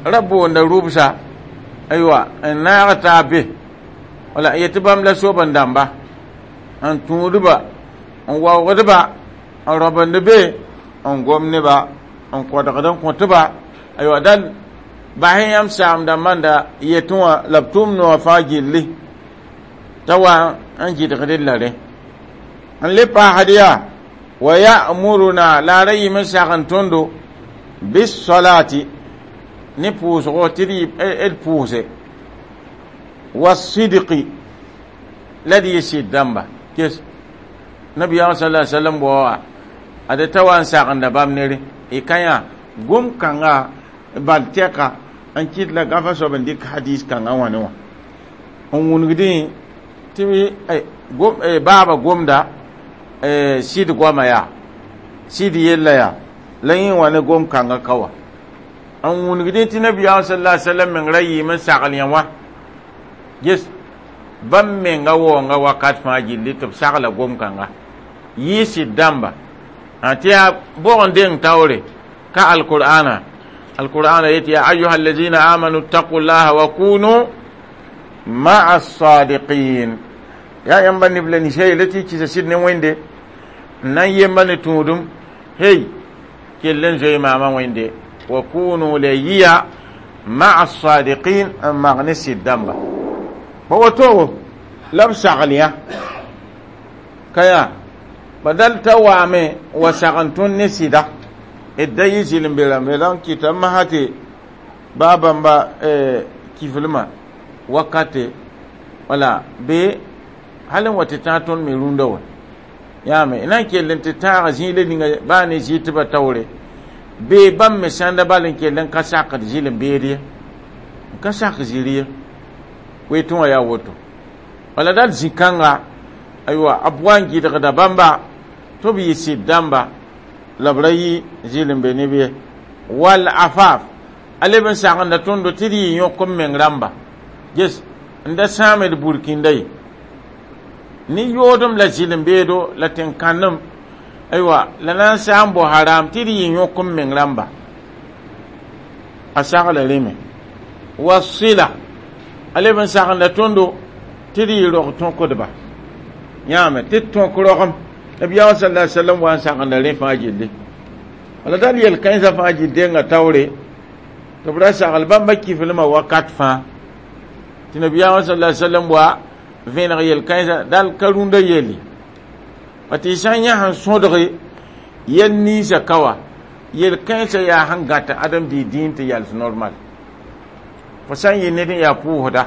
ra boonda rʋbsa aywa n naag taab be wala n yetɩ bãmb la soab n dãmba n tũudba n waoogdba n rõbend be n gom neba n kõdgd n kõtba aywa dal bas yãmb saam dãmbã n da yetẽ wã la b tʋʋm noogã fãa gilli t'a wa n gɩdgd la rẽ n le paasd yaa wa ya'muruna la a ra yɩm n sagn tõndo bisolati ne pʋʋsgo tɩ d pʋʋse wasidqi la d yɩ sɩd dãmba kes nabiyaam sala sallam bao wa ad t'a wa n sagenda bãmb nere y ka yã gom kãnga bal tɛka n kɩt la gafa soab n dɩk hadis kãngã wã ne wã n wũnugdẽ tɩ baaba gomda sɩd goama yaa sɩd yella yaa la yẽ wã ne gom kãngã ka wa n wũnugdẽ tɩ nabiyaam sala sallam meng ra yɩɩm n sagl yã wã ges bãmb menga waoonga wakat fãa gilli tɩ b sagla gom kãnga yɩ sɩd dãmba tɩ yaa bʋg n deng taoore ka alqur'ana alqur'ana yetɩ ya ayuha allazina amanu ttaqu llaha wa kunu ma'a sadiqin yaa yãmba neb la ninsã yeela tɩ y kɩsa sɩd ne wẽnde n na n yemba ne tũudum hey kell n zoe maama wẽnde wa kunu la yiya ma'a sadiqin n mag ne sɩd dãmba pa woto la b sagl yã ka yaa ba dal t'a waame wa sagn tõnd ne sɩda d da yɩ zɩlem-be rãmbe la n kɩta masã tɩ baa bãmba kiflmã wakate wala be hal n wa tɩ tãag tõnd me rũndã wã yaame na n kell n tɩ tãag zĩila ninga baa ne zɩtbã taoore bee bãmb me sãnda bal n kell n ka sakd zɩlem-beed ye n ka sak zĩri ye wetẽ wã yaa woto wala dal zĩ-kãnga aywa b wa n gɩdgda bãmba tɩ b yɩ sɩd dãmba la b ra yɩ zɩlem-be neb ye wal afaf a leb n sagenda tõndo tɩ d yɩ yõk m meng rãmba ges n da sãame d burkĩnda ye ne yoodem la zɩlem-beedo la tẽn-kãndem aywa la na n saa n bao haram tɩ d yɩ yõk m meng rãmba a sagla rẽme wa sɩla a leb n sagenda tõndo tɩ d yɩ rog tõkdba yãame tɩ d tõk rogem nabiyaam sala sallam wa n sagenda rẽ fãa gilli wala dal yel kãensã fãa gil denga taoore tɩ b ra sagl bãmba kiflmã wakat fãa tɩ nabiyaamã sala sallam wa vẽneg yel-kãensã dal ka rũndã yelle pa tɩ y sã n yã sẽn sõdge yel ninsã ka wa yel-kãensã yaa sẽn gãta adem-dɩ dĩin tɩ yals normal fo sã n yɩ ned n yaa pʋʋsda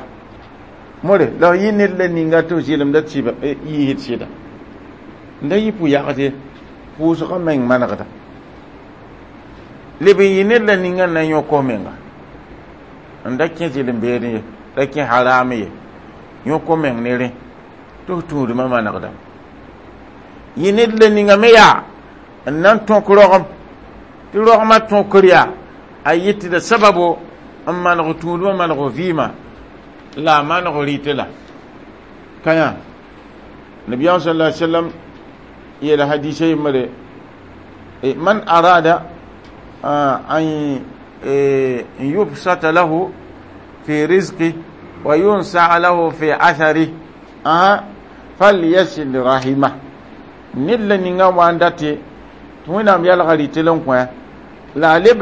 more la f yɩ ned la ninga tɩ f zɩlemda yiisd sɩda n da yɩ pʋ-yagd pʋʋsgã meng manegda leb n yɩ ned la ninga n na yõk f menga n da kẽ zɩlem-beed ye da kẽ haram ye yõk f meng ne rẽ tɩ f tũudmã manegdame yɩ ned la ninga me yaa n na n tõk rogem tɩ rogmã tõkr yaa a yɩtda sababo n maneg tũudmã maneg vɩɩmã la a maneg rɩtɩ la ka yã nabiyaam sala sallam yeela hadisa yembre man arada an yubsata lahu fi rizqi wa yunsaa lahu fi athari falyasil rahima ned la ninga wa n date tɩ wẽnnaam yalga rɩtɩl n kõ la a leb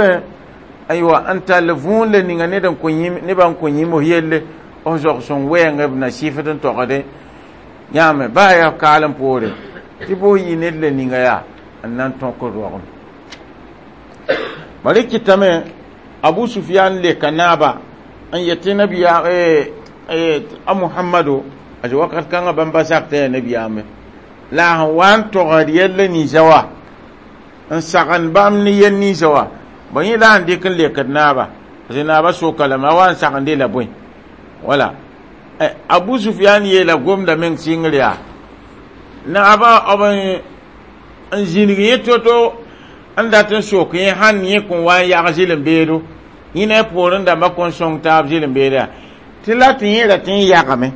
aywa n tall võor la ninga ned n kõ nebã n kõ yĩms yelle f zog sõng wɛɛngã b na sɩfd n togde yãame baa yaa kaalem poore tɩ bos yɩ ned la ninga yaa n na n tõk rogem bari kɩtame abu sufiyan leka naaba n yetɩ nabiya a muhammado a wakat kãngã bãmba sak t'a yaa nabiyaame la a sẽn wa n togd yella ninsã wa n sagend bãmb ne yel ninsã wa ba yẽ la n dɩk n lekd naaba parce naaba soka lame a wa n sagende la bõe wala abu sufiyan yeela gomda meng sɩngr yaa naaba b n zĩnig yẽ to-to n dat n sok yẽ sãn yẽ kõn wa n yag zɩlem-beedo yẽ ne a poorẽ dãmbã kõn sõng taab zɩlem-beeda Tɩ la tɩ yẽ ra tɩ n yagame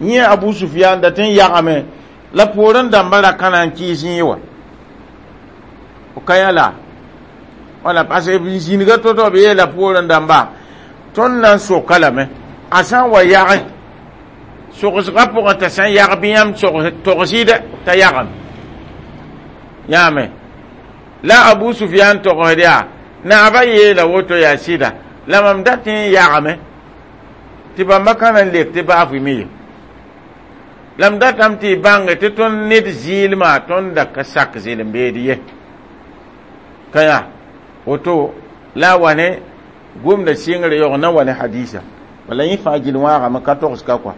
yẽ Abu Sufyan da tɩ n yagame la poorẽ dãmba ra ka na n kɩɩs yẽ wa f ka yã la wala parce que zĩniga to-to b yeela poorẽ dãmba tõnd na n soka lame a sã n wa yage sogsgã pʋgẽ t'a sã n yag bɩ yãmb togs-y-dɛ t'a yagame yãame la Abu Sufyan togsd yaa naaba yeela woto yaa sɩda la mam dat n yagame tɩ bãmba ka na n lek tɩ baaf me ye la m datame tɩ y bãnge tɩ tõnd ned zɩɩlmã tõnd da ka sak zɩlem-beed ye ka yã woto la a wa ne gomda sɩngre yaoog na wa ne hadisa wala yẽ fãa gill wãagame ka togs ka kɔa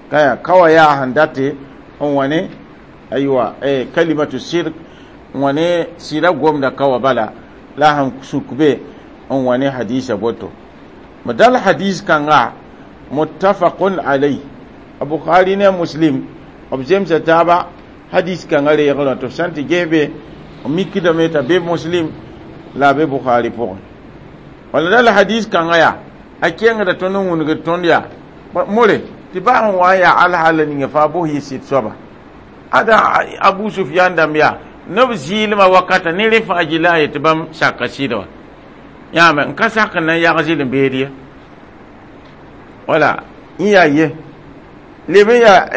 ka yã ka wa yaa sẽn date n wa ne aywa kalimatu sirk n wa ne sɩda gomda ka wa bala la sẽn suk be n wa ne hadisa boto dal hadis kãnga muttafaqun alayh Bukhari ne Muslim b zemsa taaba hadis kãngã reegrã tɩ f sã n tɩ ges be b mikdame t'a be Muslim la a be Bukhari pʋgẽ wala dal hadis kãngã yaa a kengda tõnd n wũnegd tõnd yaa more tɩ baa n wa n yaa alhaala ninga fãa bos yɩ sɩd soaba ada Abu Sufyan dãmb yaa neb zɩɩlmã wakata ne rẽ fãa gilla a yetɩ bãmb saka sɩda wa yãame n ka sak n na n yag zɩlem-beed ye wala n yaa ye leb n yaa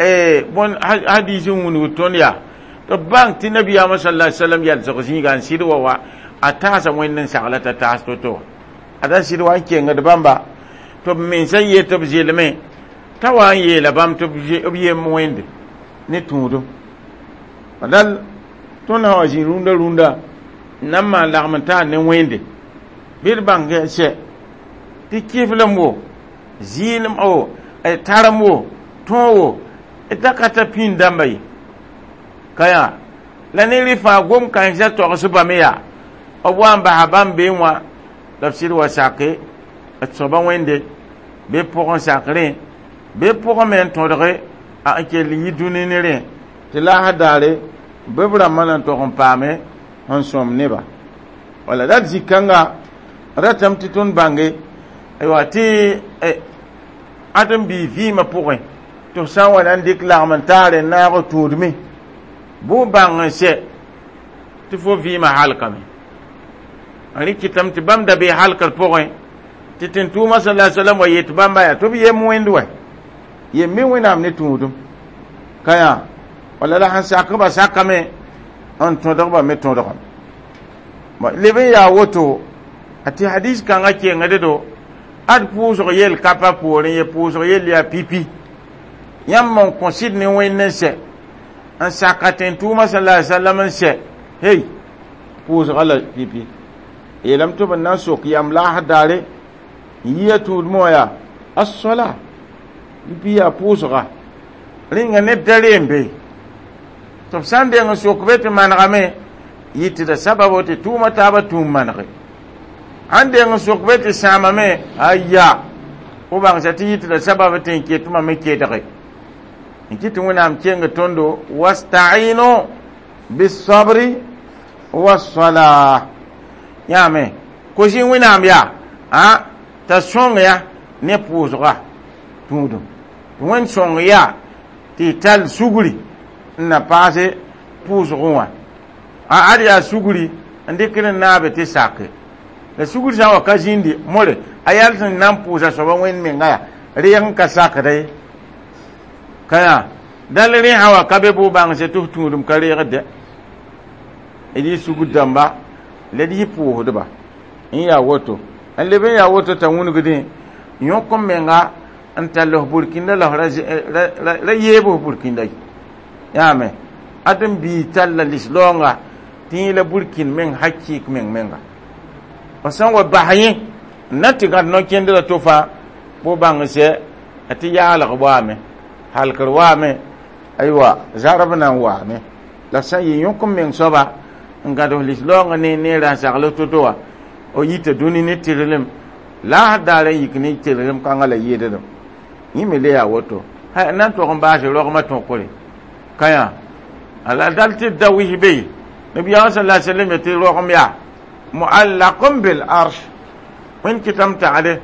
bõn hadis n wũnugd tõnd yaa tɩ b bãng tɩ nabiyaamã sala alai salam yalsg zĩiga n sɩd wa wa a taasa wẽnd n sagla t'a taas to-to wa ada sɩd wa n kengd bãmba tɩ b mensã yet b zelme t'a wa n yeela bãmb tɩ b yem wẽnde ne tũudum dal tõnd sã wa zĩ rũndã rũndã n na n maan lagm n taar ne wẽnde bɩ d bãng sɛ tɩ kɩflem wo zɩɩlem o tarem wo tõog wo da ka ta pĩnd dãmba ye ka yã la ne rẽ fãa gom-kãensã togsbame yaa b wa n basa bãmb beẽ wã la b sɩd wa sake d soaba wẽnde bɩ pʋgẽ sak rẽ bɩ pʋgẽ me n tõdge a n kell yi dũni ne rẽ tɩ laasã daare bɩ b rãmbã na n tog n paame sẽn sõm neba wala dat zĩ-kãnga ratame tɩ tõnd bãnge aywa tɩ ad n bii vɩɩmã pʋgẽ tɩ f sã n wa na n dɩk lagm n taar n naag tũudme bʋ bãng n sɛ tɩ fo vɩɩmã halkame n rɩ kɩtame tɩ bãmb da bee halkr pʋgẽ tɩ tẽn-tʋʋmã sala salam wa yet bãmba yaa tɩ b yem wẽnd wɛ yem me wẽnnaam ne tũudum ka yã wala la sẽn sakba sakame n tõdgba me tõdgame leb n yaa woto a tɩ hadis kãngã kengd do ad pʋʋsg yel ka pa poorẽ ye pʋʋsg yell yaa pipi yãmb n kõ sɩd ne wẽnd n sɛ n saka tẽn-tʋʋmã sala sallam n sɛ hey pʋʋsga la pipi yeelame tɩ b na n sok yam laasd daare n yia tũudmẽ wã yaa as-sola pipi yaa pʋʋsga rẽnga ned da reem be tɩ b sã n deng n sok be tɩ manegame yɩtda sababo tɩ tʋʋma taabã tũum manege sãn deng n sok be tɩ sãamame aya fo bãngsa tɩ yɩtda sabab tɩ n ket me kedge n kɩ tɩ wẽnnaam keng tõndo wastainu bisabri wasala yãame kosi wẽnnaam yaa a t'a sõng ya ne pʋʋsga tũudum tɩ wẽnd sõng yaa tɩ y tall sugri n na paase pʋʋsgẽ wã a ad yaa sugri n dɩkd n naabe tɩ sake la sugr sã n wa ka zĩndi more a yal sẽn na n pʋʋsa soaba wẽnd menga yaa reeg n ka sakda ye ka yã dal rẽ sã wa ka be bʋ bãngse tɩ f tũudum ka reegd d yɩ sugr dãmba la d yɩ pʋʋsdba n yaa woto n leb n yaa woto t'a wũnugdẽ yõk n menga n tall f burkĩnda la f ra yeeb f burkĩnda ye yãame ad n bii talla lislaoonga tɩ yẽ la burkĩnd meng hakɩɩk meng menga f sã n wa bas yẽ n na tɩ gãd no-kẽndrã to fãa bʋ bãng sɛ tɩ yaalg waame halkr waame aywa zarb na n waame la sã n yɩ yõk n meng soaba n gãd f lislaoongã ne neerã n sagl to-to wã o yita dũni ne tɩrlem la a daar n yik ne tɩrlem kãngã la yɩɩdem yẽ me le yaa woto ha na n tog n baase rogmã tõkre ka yã ala dal tɩ da wis be ye nabiyaamã sala sallam tɩ rogem yaa muallaqun bil arsh wẽnd kɩtame tagde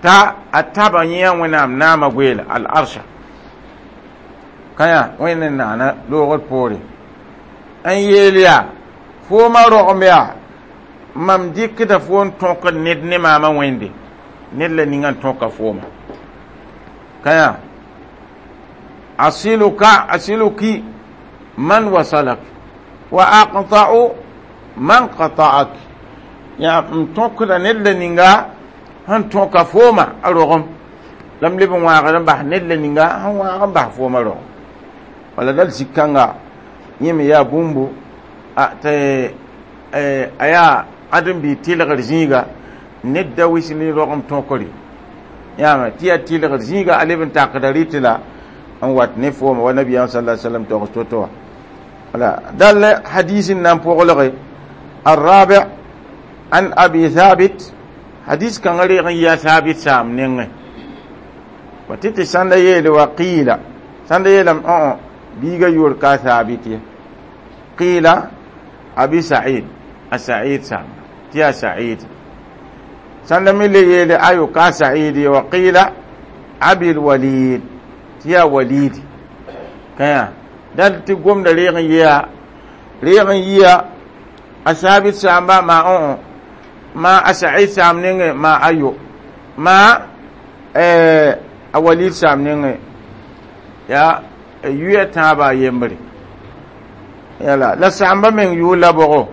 T'a a taba yẽ Wẽnnaam naamã goeela al-arsha kãyã Wẽnd n naana loogr poore n yeel yaa foomã rogem yaa mam dɩkda fo n tõkd ned ne maamã Wẽnde ned la ninga n tõka fooma kãyã asiluka asiluki man wasalak wa aqta'u man qata'ak yaa m tõkda ned la ninga sẽn tõka fooma a rogem la m leb n wãagd n bas ned la ninga sẽn wãag n bas fooma rogem wala dal zĩ-kãnga yẽ me yaa bũmbu tɩ a yaa ãdem-biig tɩlgr zĩiga ned da wis ne rogem tõkre yãame tɩ yaa tɩlgr zĩiga a leb n takda rɩtɩ la n wat ne fooma wa nabiyaam sala sallam togs to-to wã wala dal hadis n na n pʋglge الرابع عن أبي ثابت حديث كان غير يا ثابت سام نينغ وتتي سند يل وقيل سند يل اه بيغا يور كا ثابت قيل أبي سعيد السعيد سام تيا سعيد سند ملي يل أيو كا سعيد وقيل أبي الوليد تيا وليد كيا دال تقوم دليغ يا ريغ يا أثابت سامبا ما أون ما أسعيد سام نينغ ما أيو ما eh a walid saam nengẽ yaa yuya tãabã a yembre yala la sãamba meng yʋʋr la bʋgo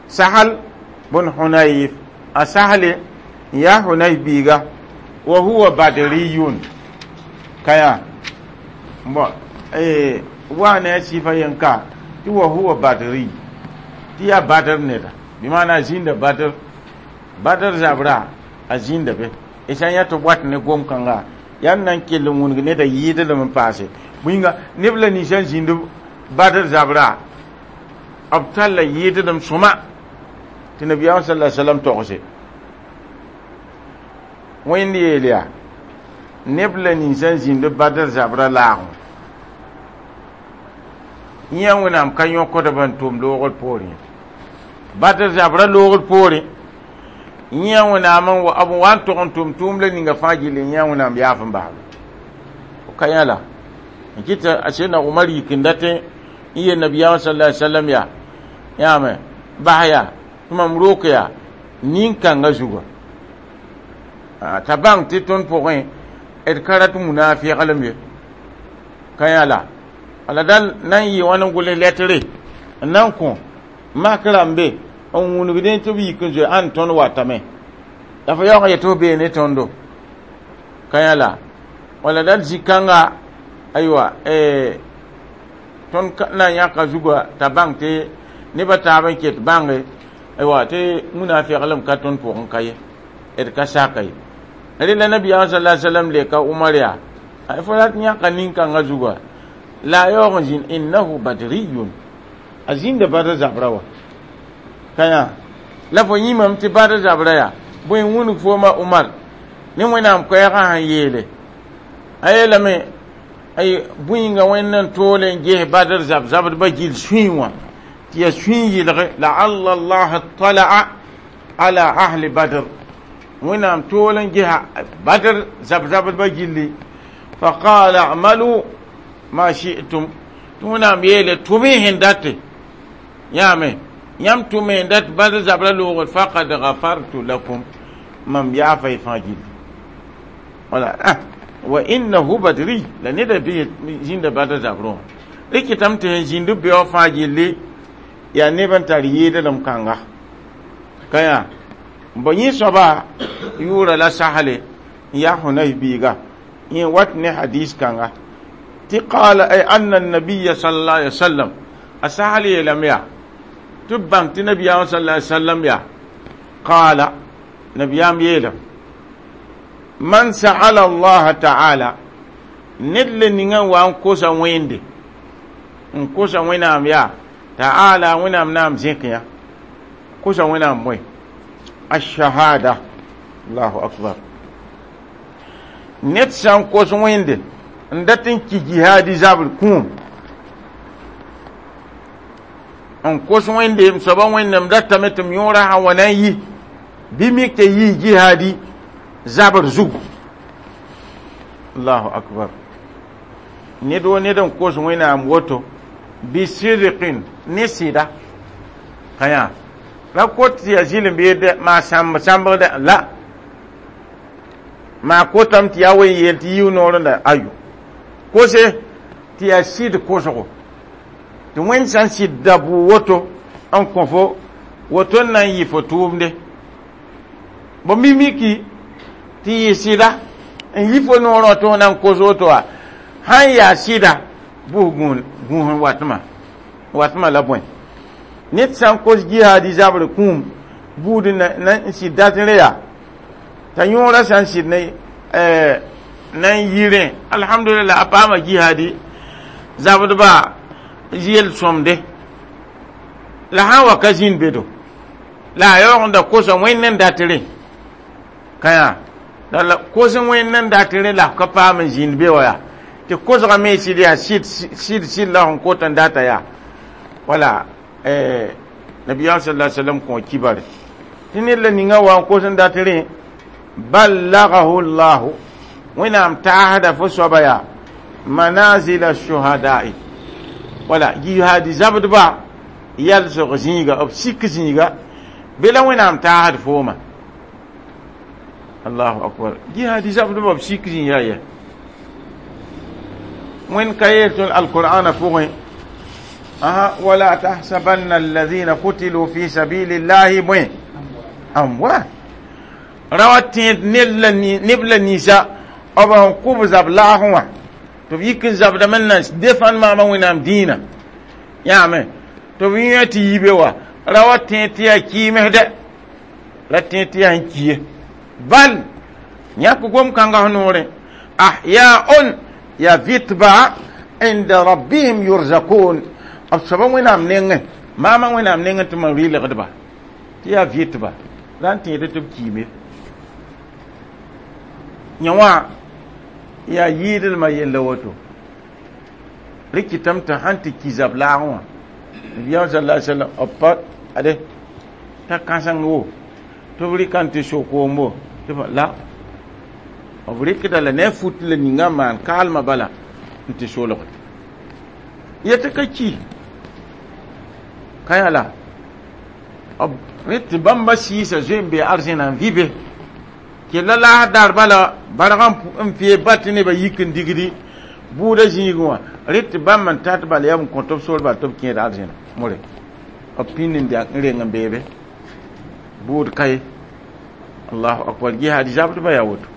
sahal bun hunayf a sahale n yaa hunayf biiga wa huwa badriyun kaya bon eh wa ne a sifa yen ka tɩ wa huwa badri tɩ yaa badr neda bɩ maana a zĩnda badr badr zabra a zĩnda be y sã n yã tɩ b wat ne gom-kãnga yaa n na n kell n wũneg neda yɩɩdlem n paase bũinga neb la ninsã n zĩnd badr zabra b talla yɩɩdlem sõma tɩ nabiyaam sala salam togse Wẽnd yeel yaa neb la ninsã n zĩnd badr zabra laagẽ yã Wẽnnaam ka yõkdb n tʋm loogr poorẽ badr zabra loogr poorẽ yã Wẽnnaam n b wa n tog n tʋm tʋʋm la ninga fãa gill yã Wẽnnaam yaaf n basba ka yã la n kɩta a Sedna Umar yik n dat n yel nabiyaamã sala alai sallam yaa yãame bas yaa tɩ mam rok yaa nin-kãngã zuga t'a bãng tɩ tõnd pʋgẽ d ka rat munaafɩglem ye ka yã la ala dal na n yɩ wãn n gʋls lɛtre n na n kõ mak rãmbe n wũnigdẽ tɩ b yik n zoe ãn tõnd watame la fo yaoog n yet tɩ f bee ne tõndo ka yã la wala dal zĩ-kãnga aywa tõnd na n yãka zuga t'a bãng tɩ nebã taab n ket bãnge aywa tɩ munaafɩglem ka tõnd pʋgẽ ka ye d ka saka ye rela nabiyaam sala sallam leka Umar yaa fo rat yãka nin-kãngã zuga la a yaoog n zĩnd innahu badriyun a zĩnda badr zabra wa ka yã la fo yĩmame tɩ badr zabra yaa bõe n wũnug fooma Umar ne Wẽnnaam koɛɛgã sẽn yeele a yeelame ay bũinga Wẽnd n toole n ges badr zab zabdbã gill sũy wã tɩ yaa sũy yɩlge laalla allah tala'a ala ahli badr Wẽnnaam tool n gesa badr zab zabdbã gilli faqala amalu ma shi'tum tɩ Wẽnnaam yeele tʋm-y sẽn date yãame yãmb tʋm sẽn dat badr zabra loogr faqad gafartu lakum mam yaafa y fãa gilli wala ah wa innahu badri la neda bɩ zĩnda badr zabrẽ wã rɩkɩtame tɩ sẽn zĩnd beoog fãa gilli yaa neb n tar yɩɩdlem kãnga ka yã bõ yẽ soaba yʋʋra la sasle n yaa Hunayf biiga yẽ wat ne hadis kãnga tɩ qala ay anna nabiya sallallahu alaihi wasallam a sasl yeelame yaa tɩ b bãng tɩ nabiyaam sallallahu alaihi wasallam yaa qaala nabiyaam yeelame man sa'ala Allah ta'ala ned le ninga wa n kosa Wẽnde n kosa Wẽnnaam yaa ta'ala Wẽnnaam naam zẽk yã kosa Wẽnnaam bõe ashahada allahu akbar ned sã n kos Wẽnde n dat n ki jihaadi zabr kũum n kos Wẽnde m soaba Wẽnnaam datame tɩ m yõora sã wa na n yi bɩ mik tɩ yii jihaadi zabr zugu Allahu akbar ned wo ned n kos wẽnnaam woto bisidqin ne sɩda ka yã ra kot tɩ yaa zɩlem beede maa sãmb sãmbgda la maa kotame tɩ yaa wen yeel tɩ yiu noorẽnda ayo kose tɩ yaa sɩd kosgo tɩ wẽnd sã n sɩd da bʋ woto n kõ fo woto n na n yɩ fo tʋʋmde bo mimiki tɩ yɩ sɩda n yi fo noorã tɩ fo na n kos woto wa sãn yaa sɩda bʋs gũus n watmã watmã la bõe ned sã n kos jihaadi zabr kũum buud na n sɩd dat rẽ yaa t'a yõorã sã n sɩd ne na n yi rẽ alhamdulillah a paama jihaadi zabdba yel sõmde la sã n wa ka zĩnd bedo la a yaoog n da kosa wẽnd n dat rẽ ka yã la kos wẽnd n dat rẽ la f ka paam n zĩnd be wa yaa tɩ kosgã me sɩd yaa sɩd sɩd sɩd la sẽn kot n data yaa wala nabiyaam sallallahu alaihi wasallam kõ kibare tɩ ned la ninga wa n kos n dat rẽ ballagahu llahu wẽnnaam taasda fo soaba yaa manazila shuhada'i wala jihaadi zabdba yalsg zĩiga b sik zĩiga be la wẽnnaam taasd fooma allahu akbar jihaadi zabdba b sik zĩiga yɛ wẽnd ka yeel tõnd alqur'ana pʋgẽ aha wala tahsabanna alladhina qutilu fi sabilillahi bõe amwat ra wa tẽed neb la ninsã b sẽn kʋb zab laagẽ wã tɩ b yik n zabdame n na defãn maama wẽnnaam dĩinã yãame tɩ b yẽ tɩ yi be wa ra wa tẽed tɩ yaa kɩɩmsdɛ ra tẽed tɩ yaa n ki ye bal yãk gom-kãngã f noorẽ ahyaun ya vɩtba inda rabbihim yurzakun b soaba wẽnnaam nengẽ maama wẽnnaam nengẽ tɩ mam rɩlgdba tɩ yaa vɩtba la n tẽed tɩ b kiime yã wã yaa yɩɩdlmã yella woto rɩ kɩtame tɩ sãn tɩ ki zab laagẽ wã nabiyaam sal la sallam b pa ade t'a kãseng wo tɩ b rɩka n tɩ sokoombo tɩ la b rɩkda la ne a fut la ninga n maan kaalmã bala n tɩ solge yetɩ ka ki ka yã la b rẽ tɩ bãmba sɩɩsa zoe n bee arzẽna n vɩ be kella laas daar bala barg n fee ba tɩ nebã yik n digdi buudã zĩigẽ wã rẽ tɩ bãmb n tat bala yaa n kõ tɩ b sor bal tɩ b kẽed arzẽna more b pĩnd n n reng n beebe buud ka ye allahu akbar jihaad zabdbã yaa woto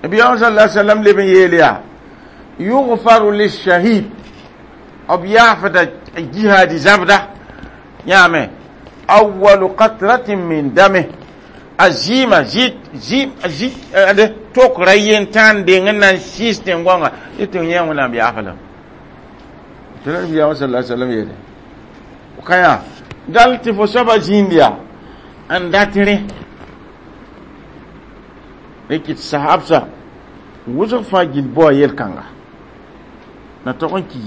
nabiyaam sal la sallam leb n yeel yaa yugfaru lishahid b yaafda jihaadi zabda yãame awalu qatratin min dame a zɩɩmã zɩ zɩ zɩ ade tok ra yen tãn deng n na n sɩɩs tẽn-goanga tɩ tɩ yẽ wẽnnaam yaafa lame tɩ la nabiyaam sal sallam yeele ka yã dal tɩ fo soaba zĩnd yaa n dat rẽ rɩk tɩ sahabsa wʋsg fãa gill bao yel-kãnga na tog n ki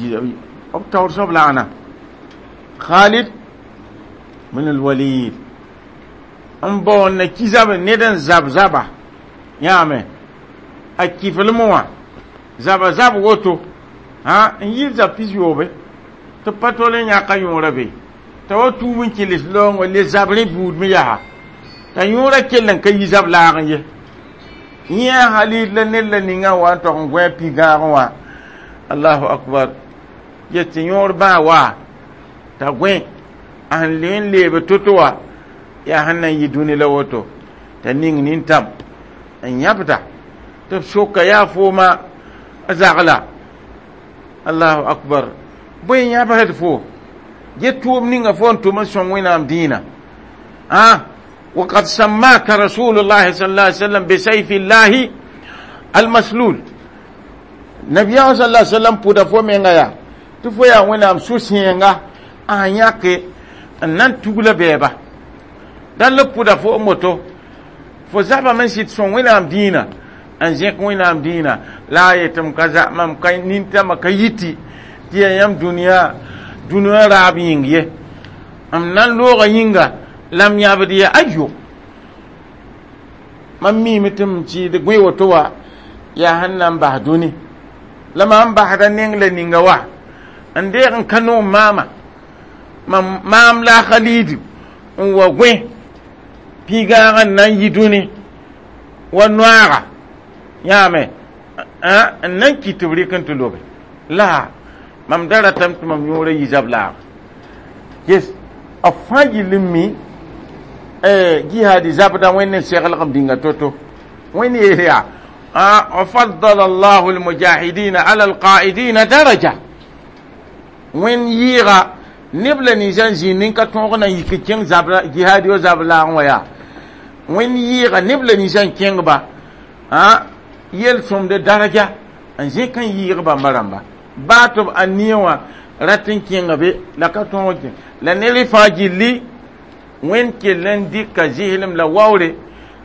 b taoor soab laana Khalid min al-Walid n baoon na ki zab ned n zab zaba yãame a kiflem wã zaba zab woto ha n yɩ zab pis yoobe tɩ pa tol n yãka yõora be t'a wa tuub n keles laoongã le zab rẽ buud me yaa t'a yõora kell n ka yi zab laagẽ ye yẽ a Halid la ned la ninga wa n tog n gõe a pi-gãagẽ wã allahu akbar yet tɩ yõor bãa wa t'a gõe a sẽn le n leebe to-to wa yaa sẽn na n yɩ dũni la woto t'a ning nintam n yãbda tɩ b soka yaa fooma a zagla allahu akbar bõe yãbsd fo get tʋʋm ninga fo n tʋm n sõng wẽnnaam dĩinã ah وقد سماك رسول الله صلى الله عليه وسلم بسيف الله المسلول نبي صلى الله عليه وسلم puda fo menga ya tɩ fo yaa wẽnnaam sũ-sẽenga a yãke n na n tugla bɛɛba dal la pʋda fo n moto fo zabame n sɩd sõng wẽnnaam dĩinã n zẽk wẽnnaam dĩinã la a yetɩ m ka za mam ka nintãmã ka yiti tɩ yaa yãmb dũniyã dũniyã raab yĩng ye m na n looga yĩnga la m yãbd ye ayo mam miime tɩ m sɩɩd gõe woto wa Yaa sẽn na n bas dũni la mam basda neng la ninga wa n deeg n ka noom maama mam maam la a Khalidu n wa gõe pĩigãag n na n yi dũni wa noaaga yãame n na n kɩt tɩ b rɩk n tɩ lobe la mam da ratame tɩ mam yõora yi zab laaga yes b fãa gill n mi jihadi zabda wẽnd n seglg n bĩnga to-to wẽnd yeel yaa وفضل الله المجاهدين على القائدين درجة wẽnd yɩɩga neb la ninsã n zĩnd nin ka tõog na n yik n kẽng zabra jihad yo zab laagẽ wã yaa wẽnd yɩɩga neb la ninsã n kẽngba yel-sõmde daraja n zẽk n yɩɩg bãmba rãmba baa tɩ b ania wã rat n kẽnga be la ka tõog n kẽ la ned fãa gilli wẽnd kell n dɩka zɩslem la waoore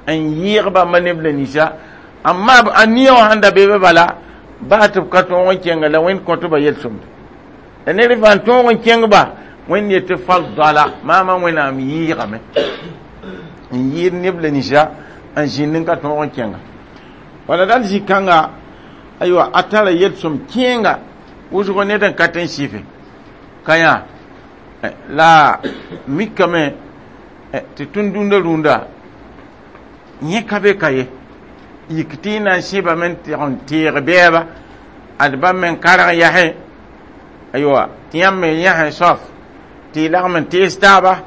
n yɩɩg bãmba neb la ninsã amma ania wã sẽn da be be bala baa tɩ b ka tõog n kẽnga la wẽnd kõtba yel-sõmde la ned fãa n tõog n kẽngba wẽnd yetɩ faddala maama wẽnnaam yɩɩgame n yɩɩd neb la ninsã n zĩnd n ka tõog n kẽnga wala dal zĩ-kãnga aywa a tara yel-sõm kẽenga wʋsgo ned n ka tɩ n sɩfe ka yã la mikame tɩ tõnd dũnda rũndã yẽ ka be ka ye yik tɩ y na n sẽbame n tɩg n teeg bɛɛba ad bãmb me n karg yasẽ aywa tɩ yãmb me yãsẽ soaf tɩ y lagm n tees taaba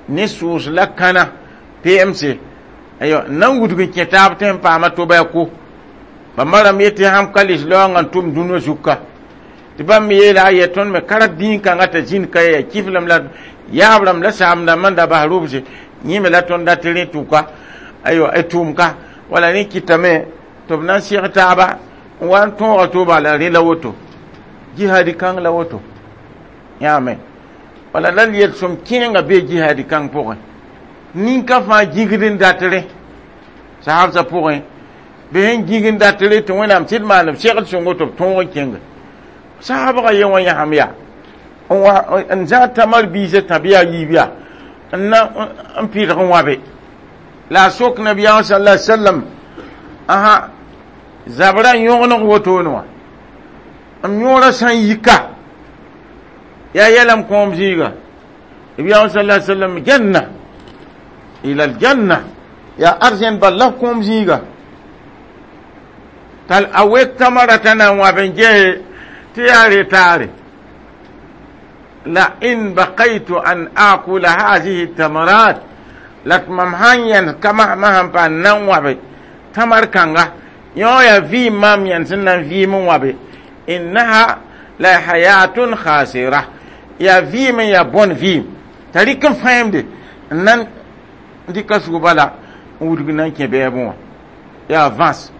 ne sʋʋs la kãna P M C aywa n na n wudg n kẽ taab tɩ n paama toba ya ko bãmba rãmb yetɩ sãm ka lis laoongã n tʋm dũnã zuka tɩ bãmb me yeela a yɛ tõnd me karg dĩin-kãngã t'a zĩnd ka ya kiflem la yaab rãmb la saam rãmbã n da bas rʋbse yẽ me la tõnd dat rẽ tʋka aywa tʋʋm ka wala rẽ kɩtame tɩ b na n seg taaba n wa n tõoga toba la rẽ la woto jihadi kãng la woto yãame wala la yel-sõm kẽenga bee jihadi kãng pʋgẽ ninka fãa gĩgd n dat rẽ sahabsã pʋgẽ bɩ sẽn gĩg n dat rẽ tɩ wẽnnaam sɩd maan b segl sõngo tɩ b tõog n kẽnge sahabga ye wã yãsem yaa n zãag tamar biisã tãb yaa yiib yaa n na n pɩdg n wãbe la a sok nabiyaam sala sallam aha zabrã yõgeneg wotone wã m yõora sã n yika yaa yɛlame kõom zĩiga nabiyaam sala sallam janna ila aljanna yaa arzẽn bal la kõom zĩiga tal a wek tamara t'a na n wãb n ges tɩ yaa retaare la in bakaytu an akula hadihi tamarat la tɩ mam sãn yẽnd kama sãn pa n na n wãbe tamar kãnga yõ yaa vɩɩm maam yẽnd sẽn na n vɩɩm n wãbe innaha la hayatun khasira yaa vɩɩm n yaa bõn vɩɩm t'a rɩk n fãemde n na n dɩka sug bala n wudg na n kẽ bɛɛbẽ wã yaa vãs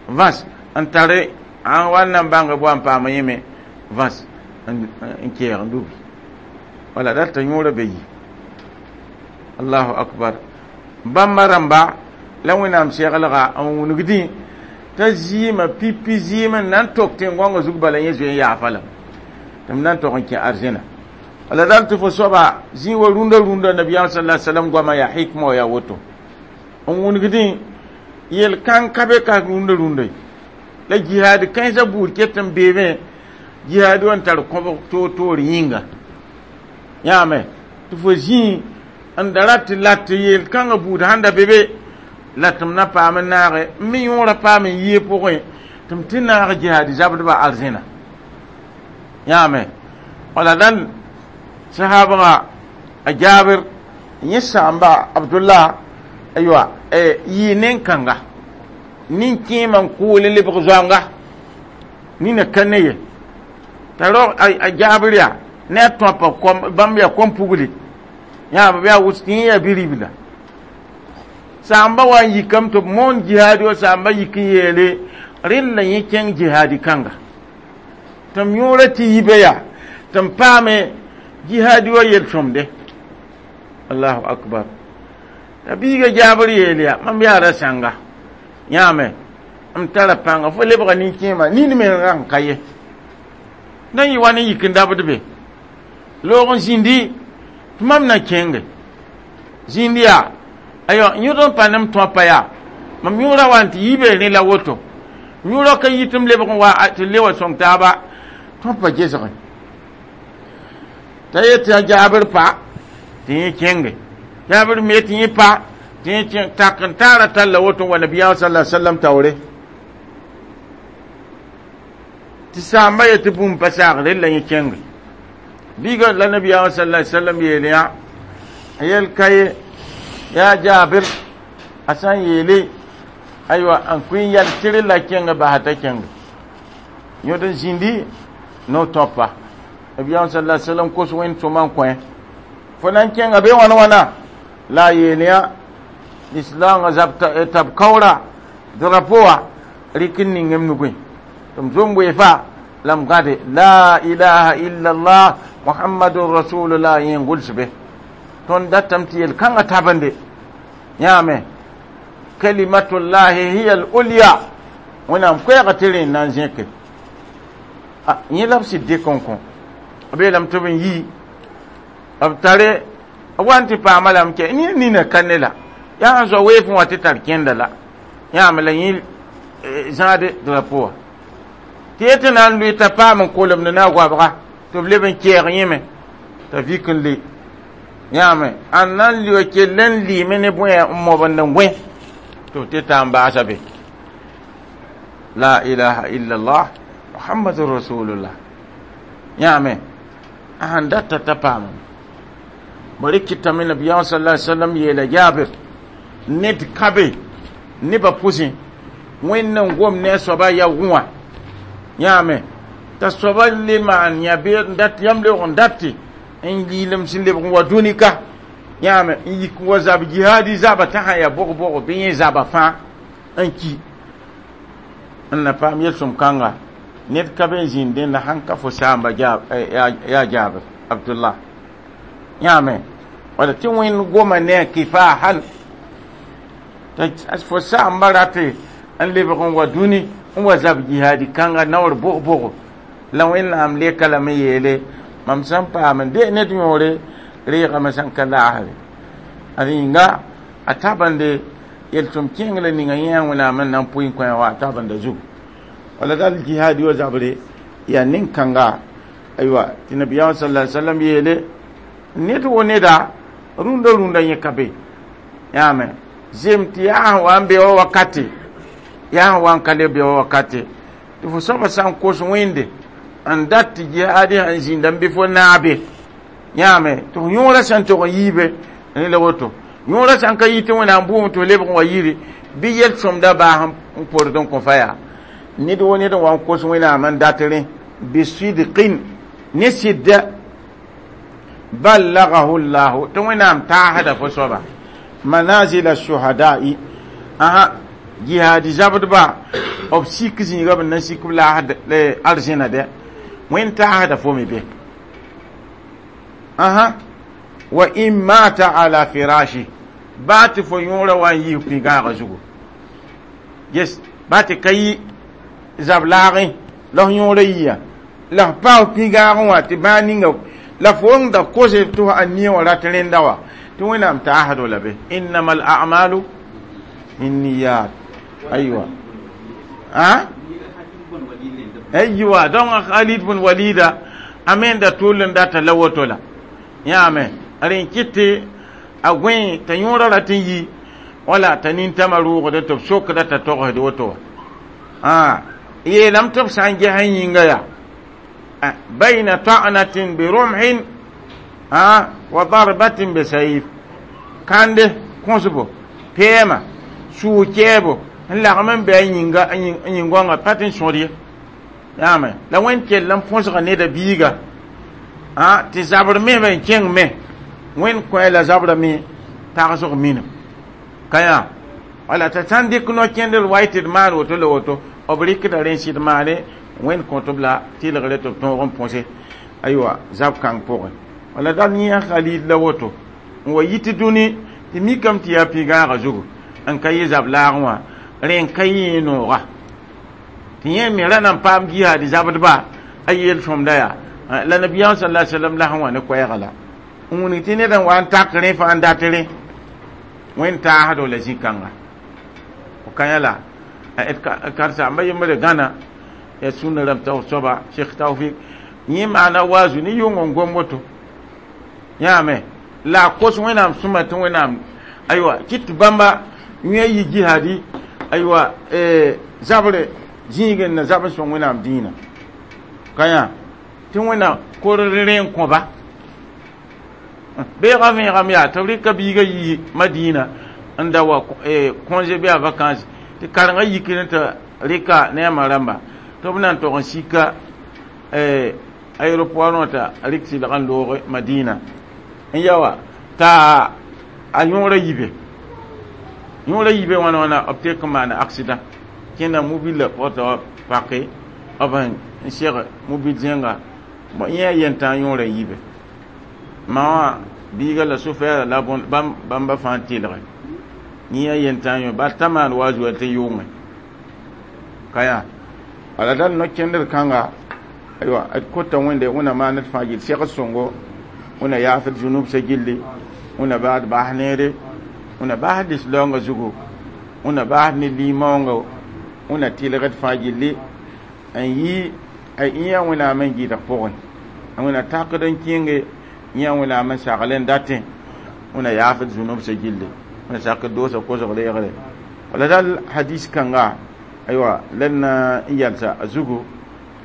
vãs n tare an wa n na n bãng b wa n paam yẽme vãs n keeg n dubi wala dat yõora be yi allahu akbar bãmba rãmba la wẽnnaam seglga n wũnugdẽ t'a zɩɩmã pipi zɩɩm n na n tok tẽn-gõngã zug bala yẽ zoe n yaafa lame tɩ m na n tog n kẽ arzẽna wala dal tɩ fo soaba zĩ wa rũndã rũndã nabiyaam sala salam goamã yaa hikma wa yaa woto n wũnugdẽ yel kãng ka be ka rũndã rũndã la jihaad kãensã buud ket n beebẽ jihaad wã n tar kõbg toor-toor yĩnga yãame tɩ fo zĩ n da rat tɩ la tɩ yel kãngã buud sãn da be be la tɩ m na paam n naage n me yõora paam n yɩɩ pʋgẽ tɩ m tɩ naag jihaad zabdbã arzẽna yãame wala dal sahabga a Jaabir yẽ sãamba Abdullah aywa yɩ nen-kãnga nin-kẽemã n kʋʋl n lebg zoanga nina ka ne ye t'a rao a Jaabir yaa ne a tõapa kom bãmb yaa kom-pugli yãab yaa wʋs tɩ yẽ yaa bi-ribla sãamba wa n yikame tɩ b moon jihaadi wa sãamba yik n yeele rẽnd la yẽ kẽng jihaadi kãnga tɩ m yõora tɩ yibe yaa tɩ m paame jihaadi wa yel-sõmde allahu akbar t'a biiga Jaabr yeel yaa mam yaa ra sãnga yãame m tara pãnga fo lebga nin-kẽema nin me rãng ka ye na n yɩ wa ne yik n dabd be loog n zĩndi tɩ mam na kẽnge zĩnd yaa aywa yõd n pa nem tõapa yaa mam yõora wa n tɩ yibe rẽ la woto Yõora ka yit m lebg n wa tɩ le wa sõng taaba tõnd pa gesge t'a yet tɩ Jaabir pa tɩ yẽ kẽnge Jaabir me tɩ yẽ pa tɩ yẽ kẽng tak n taara talla woto wa nabiyaam sallallahu alaihi wasallam taoore tɩ saamba yetɩ tɩ bũmb pa saagre la yẽ kẽnge biiga la nabiyaam sallallahu alaihi wasallam yeel yã a yel ka ye yaa Jaabir a sã n yeele aywa n kʋɩ yɛl tɩr la kẽng basa t'a kẽnge yõd n zĩndi no tõpa nabiyaam sallallahu alaihi wasallam kos wẽnd sõma n kõ fo na n kẽnga be wãna wãna la a yeel yã lislaangã zab tab kaoora drapo wã rɩk n ning m nugẽ tɩ m zom weefa la m gãde la ilaha illallah muhammadun rasulullah yẽ n gʋls be tõnd datame tɩ yel-kãngã tabende yãame kalimatullahi hiya al-ulya wẽnnaam koɛɛga tɩ rẽnd na n zẽke yẽ la b sɩd dɩk n kõ b yeelame tɩ b n yi b tare b wa n tɩ paama lame kɛ nina nina ka ne la yaa sẽn zoa weefẽ wã tɩ tar kẽnda la yãame la yẽ zãade drapo wã tɩ yetɩ na n lʋɩ t'a paam n kolemd ne a goabga tɩ b leb n kɛɛg yẽme t'a vik n le yãame a na n lʋa kell n lɩɩme ne bõe n mobend n gõe tɩ b tɩ taa n baasa be la ilaha illallah muhammadun rasulullah yãame a sẽn data t'a paamame bari kɩtame nabiyaam sallallahu alaihi wasallam yeela Jaabir ned ka be nebã pʋsẽ wẽnd n gom ne a soaba ya wã yãame t'a soaba le maan yã bee yãmb lebg n date n yiilem sẽn lebg n wa dũni ka yãame n yik n wa zab jihaadi zaba t'a sã yaa bog-bog bɩ yẽ zaba fãa n ki n na paam yel-sõm kãnga ned ka be n zĩnd dẽnda sãn ka fo saamba yaa Jaabir Abdullah yãame wala tɩ wẽnd goma ne a kifahan t'a fo saamba rate n lebg n wa dũni n wa zab jihaadi kãnga naoor bog-bogo la wẽnnaam leka lame yeele mam sẽn paam n de ned yõore reegame sẽn ka laasre ad yĩnga a tabende yel-sõm kẽng la ninga yẽ wẽnnaam n na n pʋɩ n kõ wa a tabenda zugu wala dal jihaadi wa zabre yaa nin-kãnga aywa tɩ nabiyaam sallallahu alaihi wasallam yeele ned wo neda rũndã rũndã yẽ ka be yãame zem tɩ yaa sẽn wa n be wa wakate yaa sẽn wa n ka le be wa wakate tɩ fo soaba sã n kos wẽnde n dat tɩ jihaadi sẽn zĩnda n bɩ fo naabe yãame tɩ f yõorã sẽn tog n yiibe rẽ la woto yõorã sãn ka yi tɩ wẽnnaam bʋʋm tɩ f lebg n wa yiri bɩ yel-sõmda baas n pord n kõ fa yaa ned wo ned n wa n kos wẽnnaam n dat rẽ bisidqin ne sɩdda ballagahu llahu tɩ wẽnnaam taasda fo soaba manazila shuhada'i aha jihaadi zabdba b sik zĩiga b na sik b laasd arzẽna dɛ wẽnd taasda fo me be aha wa in mata ala firashi baa tɩ fo yõora wa n yiis pĩ-gãagã zugu yes baa tɩ ka yi zab laagẽ la f yõora yia la f pa f pĩ-gãagẽ wã tɩ bãa ninga la fo n da kose tɩ a nia wã rat rẽnda wã tɩ wẽnnaam taasdo la be innama al a'malu binniyat aywa a aywa donc Khalid bun Walida a me da tʋl n data la woto la yãame rẽ kɩtɩ a gõe t'a yõora rat n yi wala t'a nintãmã rʋʋgde tɩ b sokda t'a togsd woto wã a yeelame tɩ b sã n ges n yĩnga yaa bayna ta'natin bi rumhin a wa darbatin bi sayf kande kõsbo pɛɛma suu kɛɛbo n lagm n be a yĩnga n yĩn-gõngã pa tɩ n sõd ye yãame la wẽnd kell n põsga neda biiga a tɩ zabr me n kẽng me wẽnd kõ la zabra me tagsg minim ka yã wala t'a sã n dɩk no-kẽndr wa tɩ d maan woto la woto b rɩkda rẽ sɩd maane wẽnd kõt b la tɩlgre tɩ b tõog n põse aywa zab kãng pʋgẽ wala dal yẽ Khalid la woto n wa yit dũni tɩ mikame tɩ yaa pĩ-gãagã zugu n ka yɩ zab laagẽ wã rẽ n ka yẽ nooga tɩ yẽ me ra na n paam jihaadi zabdba a yel-sõmda yaa la nabiyaam sallallahu alaihi wasallam la sẽn wa ne koɛɛga la n wilg tɩ ned n wa n tak rẽ fãa n dat rẽ wẽnd taasdo la zĩ-kãnga fo ka yã la Karsa yembre gãna ya sũnã rãmb taoor soaba Sheikh Taufik yẽ maana waazu ne yʋng n gom woto yãame la a kos Wẽnnaam sõma tɩ Wẽnnaam aywa kɩt tɩ bãmba yẽ yi jihadi aywa zabre zĩig n na zab n sõng Wẽnnaam dĩinã ka yã tɩ Wẽnnaam kor rẽ n kõba beegã vẽegame yaa tɩ b rɩka biigã yi Madina n da wa congé bɩ a vacance tɩ karengã yikr tɩ rɩka ne a ma rãmba tɩ b na n tog n sika aéroport wã t'a rɩk sɩlg n loog Madina n ya wa t'a a yõora yibe yõora yibe wãna wãna b tek n maana accident kẽnda mobile pʋgã t'a pake b n seg mobil zẽnga yẽ a yentã yõora yibe ma wã biiga la sofɛɛra la bãmba fãa tɩlge yẽ a yentã yõ bal t'a maan wa zoa tɩ yʋngẽ ka yaa wala dal no-kẽndr kãnga aywa d kota Wẽnde Wẽnna maan d fãa gill segd sõngo Wẽnna yaafd zũnubsã gilli Wẽnna baad bas neere Wẽnna bas lislaoongã zugu Wẽnna bas ne limaoongo Wẽnna tɩlgd fãa gilli n yɩ a yã Wẽnnaam n gɩdg pʋgẽ Wẽnna takd n kẽnge yã Wẽnnaam n sagl n datẽ Wẽnna yaafd zũnubsã gilli Wẽnna sakd doosã kosg reegre wala dal hadis kãnga aywa la na n yalsa a zugu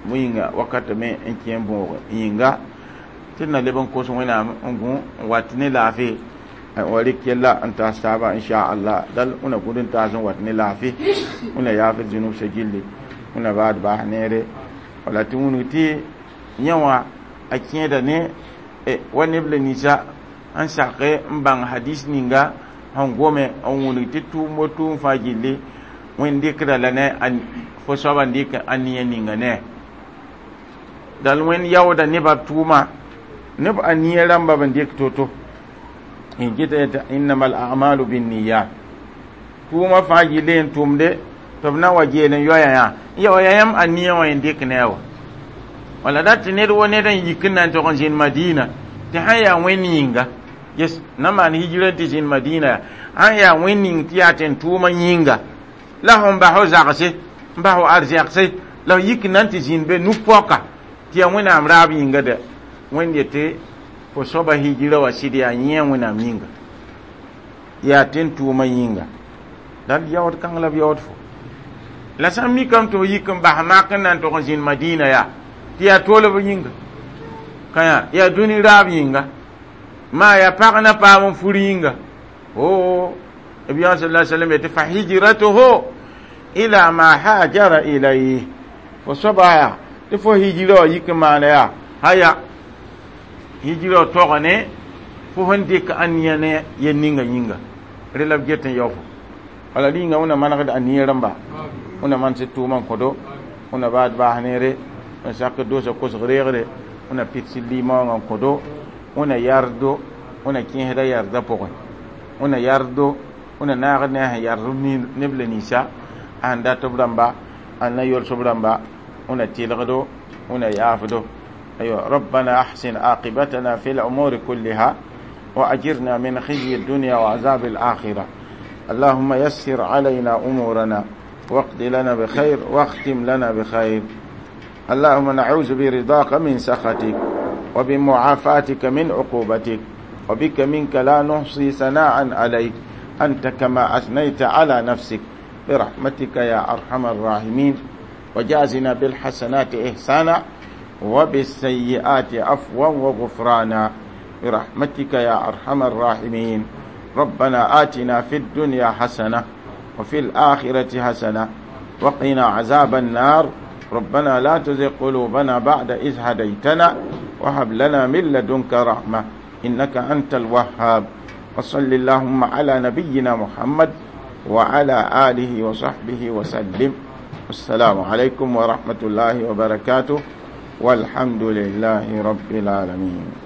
bõe yĩnga wakata me n kẽ n bõog yĩnga tɩ d na leb n kos Wẽnnaam n gũ n wat ne laafɩ wa rɩk yella n taas taaba inchallah dal Wẽnna gũd n taas n wat ne laafɩ Wẽnna yaafd zũnubsã gilli Wẽnna baad baas neere wala tɩ wũnug tɩ yẽ wã a kẽeda ne wa neb la ninsã n sake n bãng hadis ninga sẽn gome n wũnug tɩ tʋʋm bo tʋʋm fãa gilli Wẽnd dɩkda la ne fo soaba n dɩk a nia ninga ne dal Wẽnd yaooda nebã tʋʋma neb a nia rãmba b n dɩk to-to n gɩta yetɩ innama al a'malu binniyat tʋʋma fãa gilli n tʋmde tɩ b na wa geel n yoaya yã n ya wa yaa yãmb a nia wã n dɩk ne a wa wala dat tɩ ned wa ned n yik n na n tog n zĩnd Madina tɩ sãn yaa Wẽnd yĩnga yes na maan hijira tɩ zĩnd Madina yaa sãn yaa Wẽnd ning tɩ yaa tɩ n tʋʋma yĩnga la fõn bas fo zagse n bas fo arzɛgse la f yik n na n tɩ zĩnd be nu-poaka tɩ yaa Wẽnnaam raab yĩnga dɛ Wẽnd yetɩ fo soaba hijira wa sɩd yaa yẽ Wẽnnaam yĩnga yaa tɩ n tʋʋma yĩnga dal yaood kãng la b yaood fo la sã n mikame tɩ fo yik n bas mak n na n tog n zĩnd Madina yaa tɩ yaa toolb yĩnga ka yaa yaa dũni raab yĩnga maa yaa pag na paam n fur yĩnga o Nabiya sallallahu alaihi wasallam yetɩ fa hijratuhu ila ma hajara ilayhi fo soaba yaa tɩ fo hijira wa yik n maana yaa haya hijira wa tɔga ne fo sẽn dɩk a nia ne yel ninga yĩnga rẽ la b get n yao fo wala rĩnga Wẽnna manegd a nia rãmba Wẽnna maan sɩd tʋʋmã n kõdo Wẽnna baad baas neere n sak doosã kosg reegre Wẽnna pɩds limaoongã n kõdo Wẽnna yardo Wẽnna kẽesda yardã pʋgẽ Wẽnna yardo Wẽnna naagd ne a sẽn yard neb la ninsã a sẽn dat b rãmba a na yols b rãmba Wẽnna tɩlgdo Wẽnna yaafdo أيوة ربنا أحسن عاقبتنا في الأمور كلها وأجرنا من خزي الدنيا وعذاب الآخرة اللهم يسر علينا أمورنا واقض لنا بخير واختم لنا بخير اللهم نعوذ برضاك من سخطك وبمعافاتك من عقوبتك وبك منك لا نحصي ثناء عليك أنت كما أثنيت على نفسك برحمتك يا أرحم الراحمين وجازنا بالحسنات إحسانا وبالسيئات عفوا وغفرانا برحمتك يا أرحم الراحمين ربنا آتنا في الدنيا حسنة وفي الآخرة حسنة وقنا عذاب النار ربنا لا تزغ قلوبنا بعد إذ هديتنا وهب لنا من لدنك رحمة إنك أنت الوهاب وصل اللهم على نبينا محمد وعلى آله وصحبه وسلم السلام عليكم ورحمة الله وبركاته والحمد لله رب العالمين.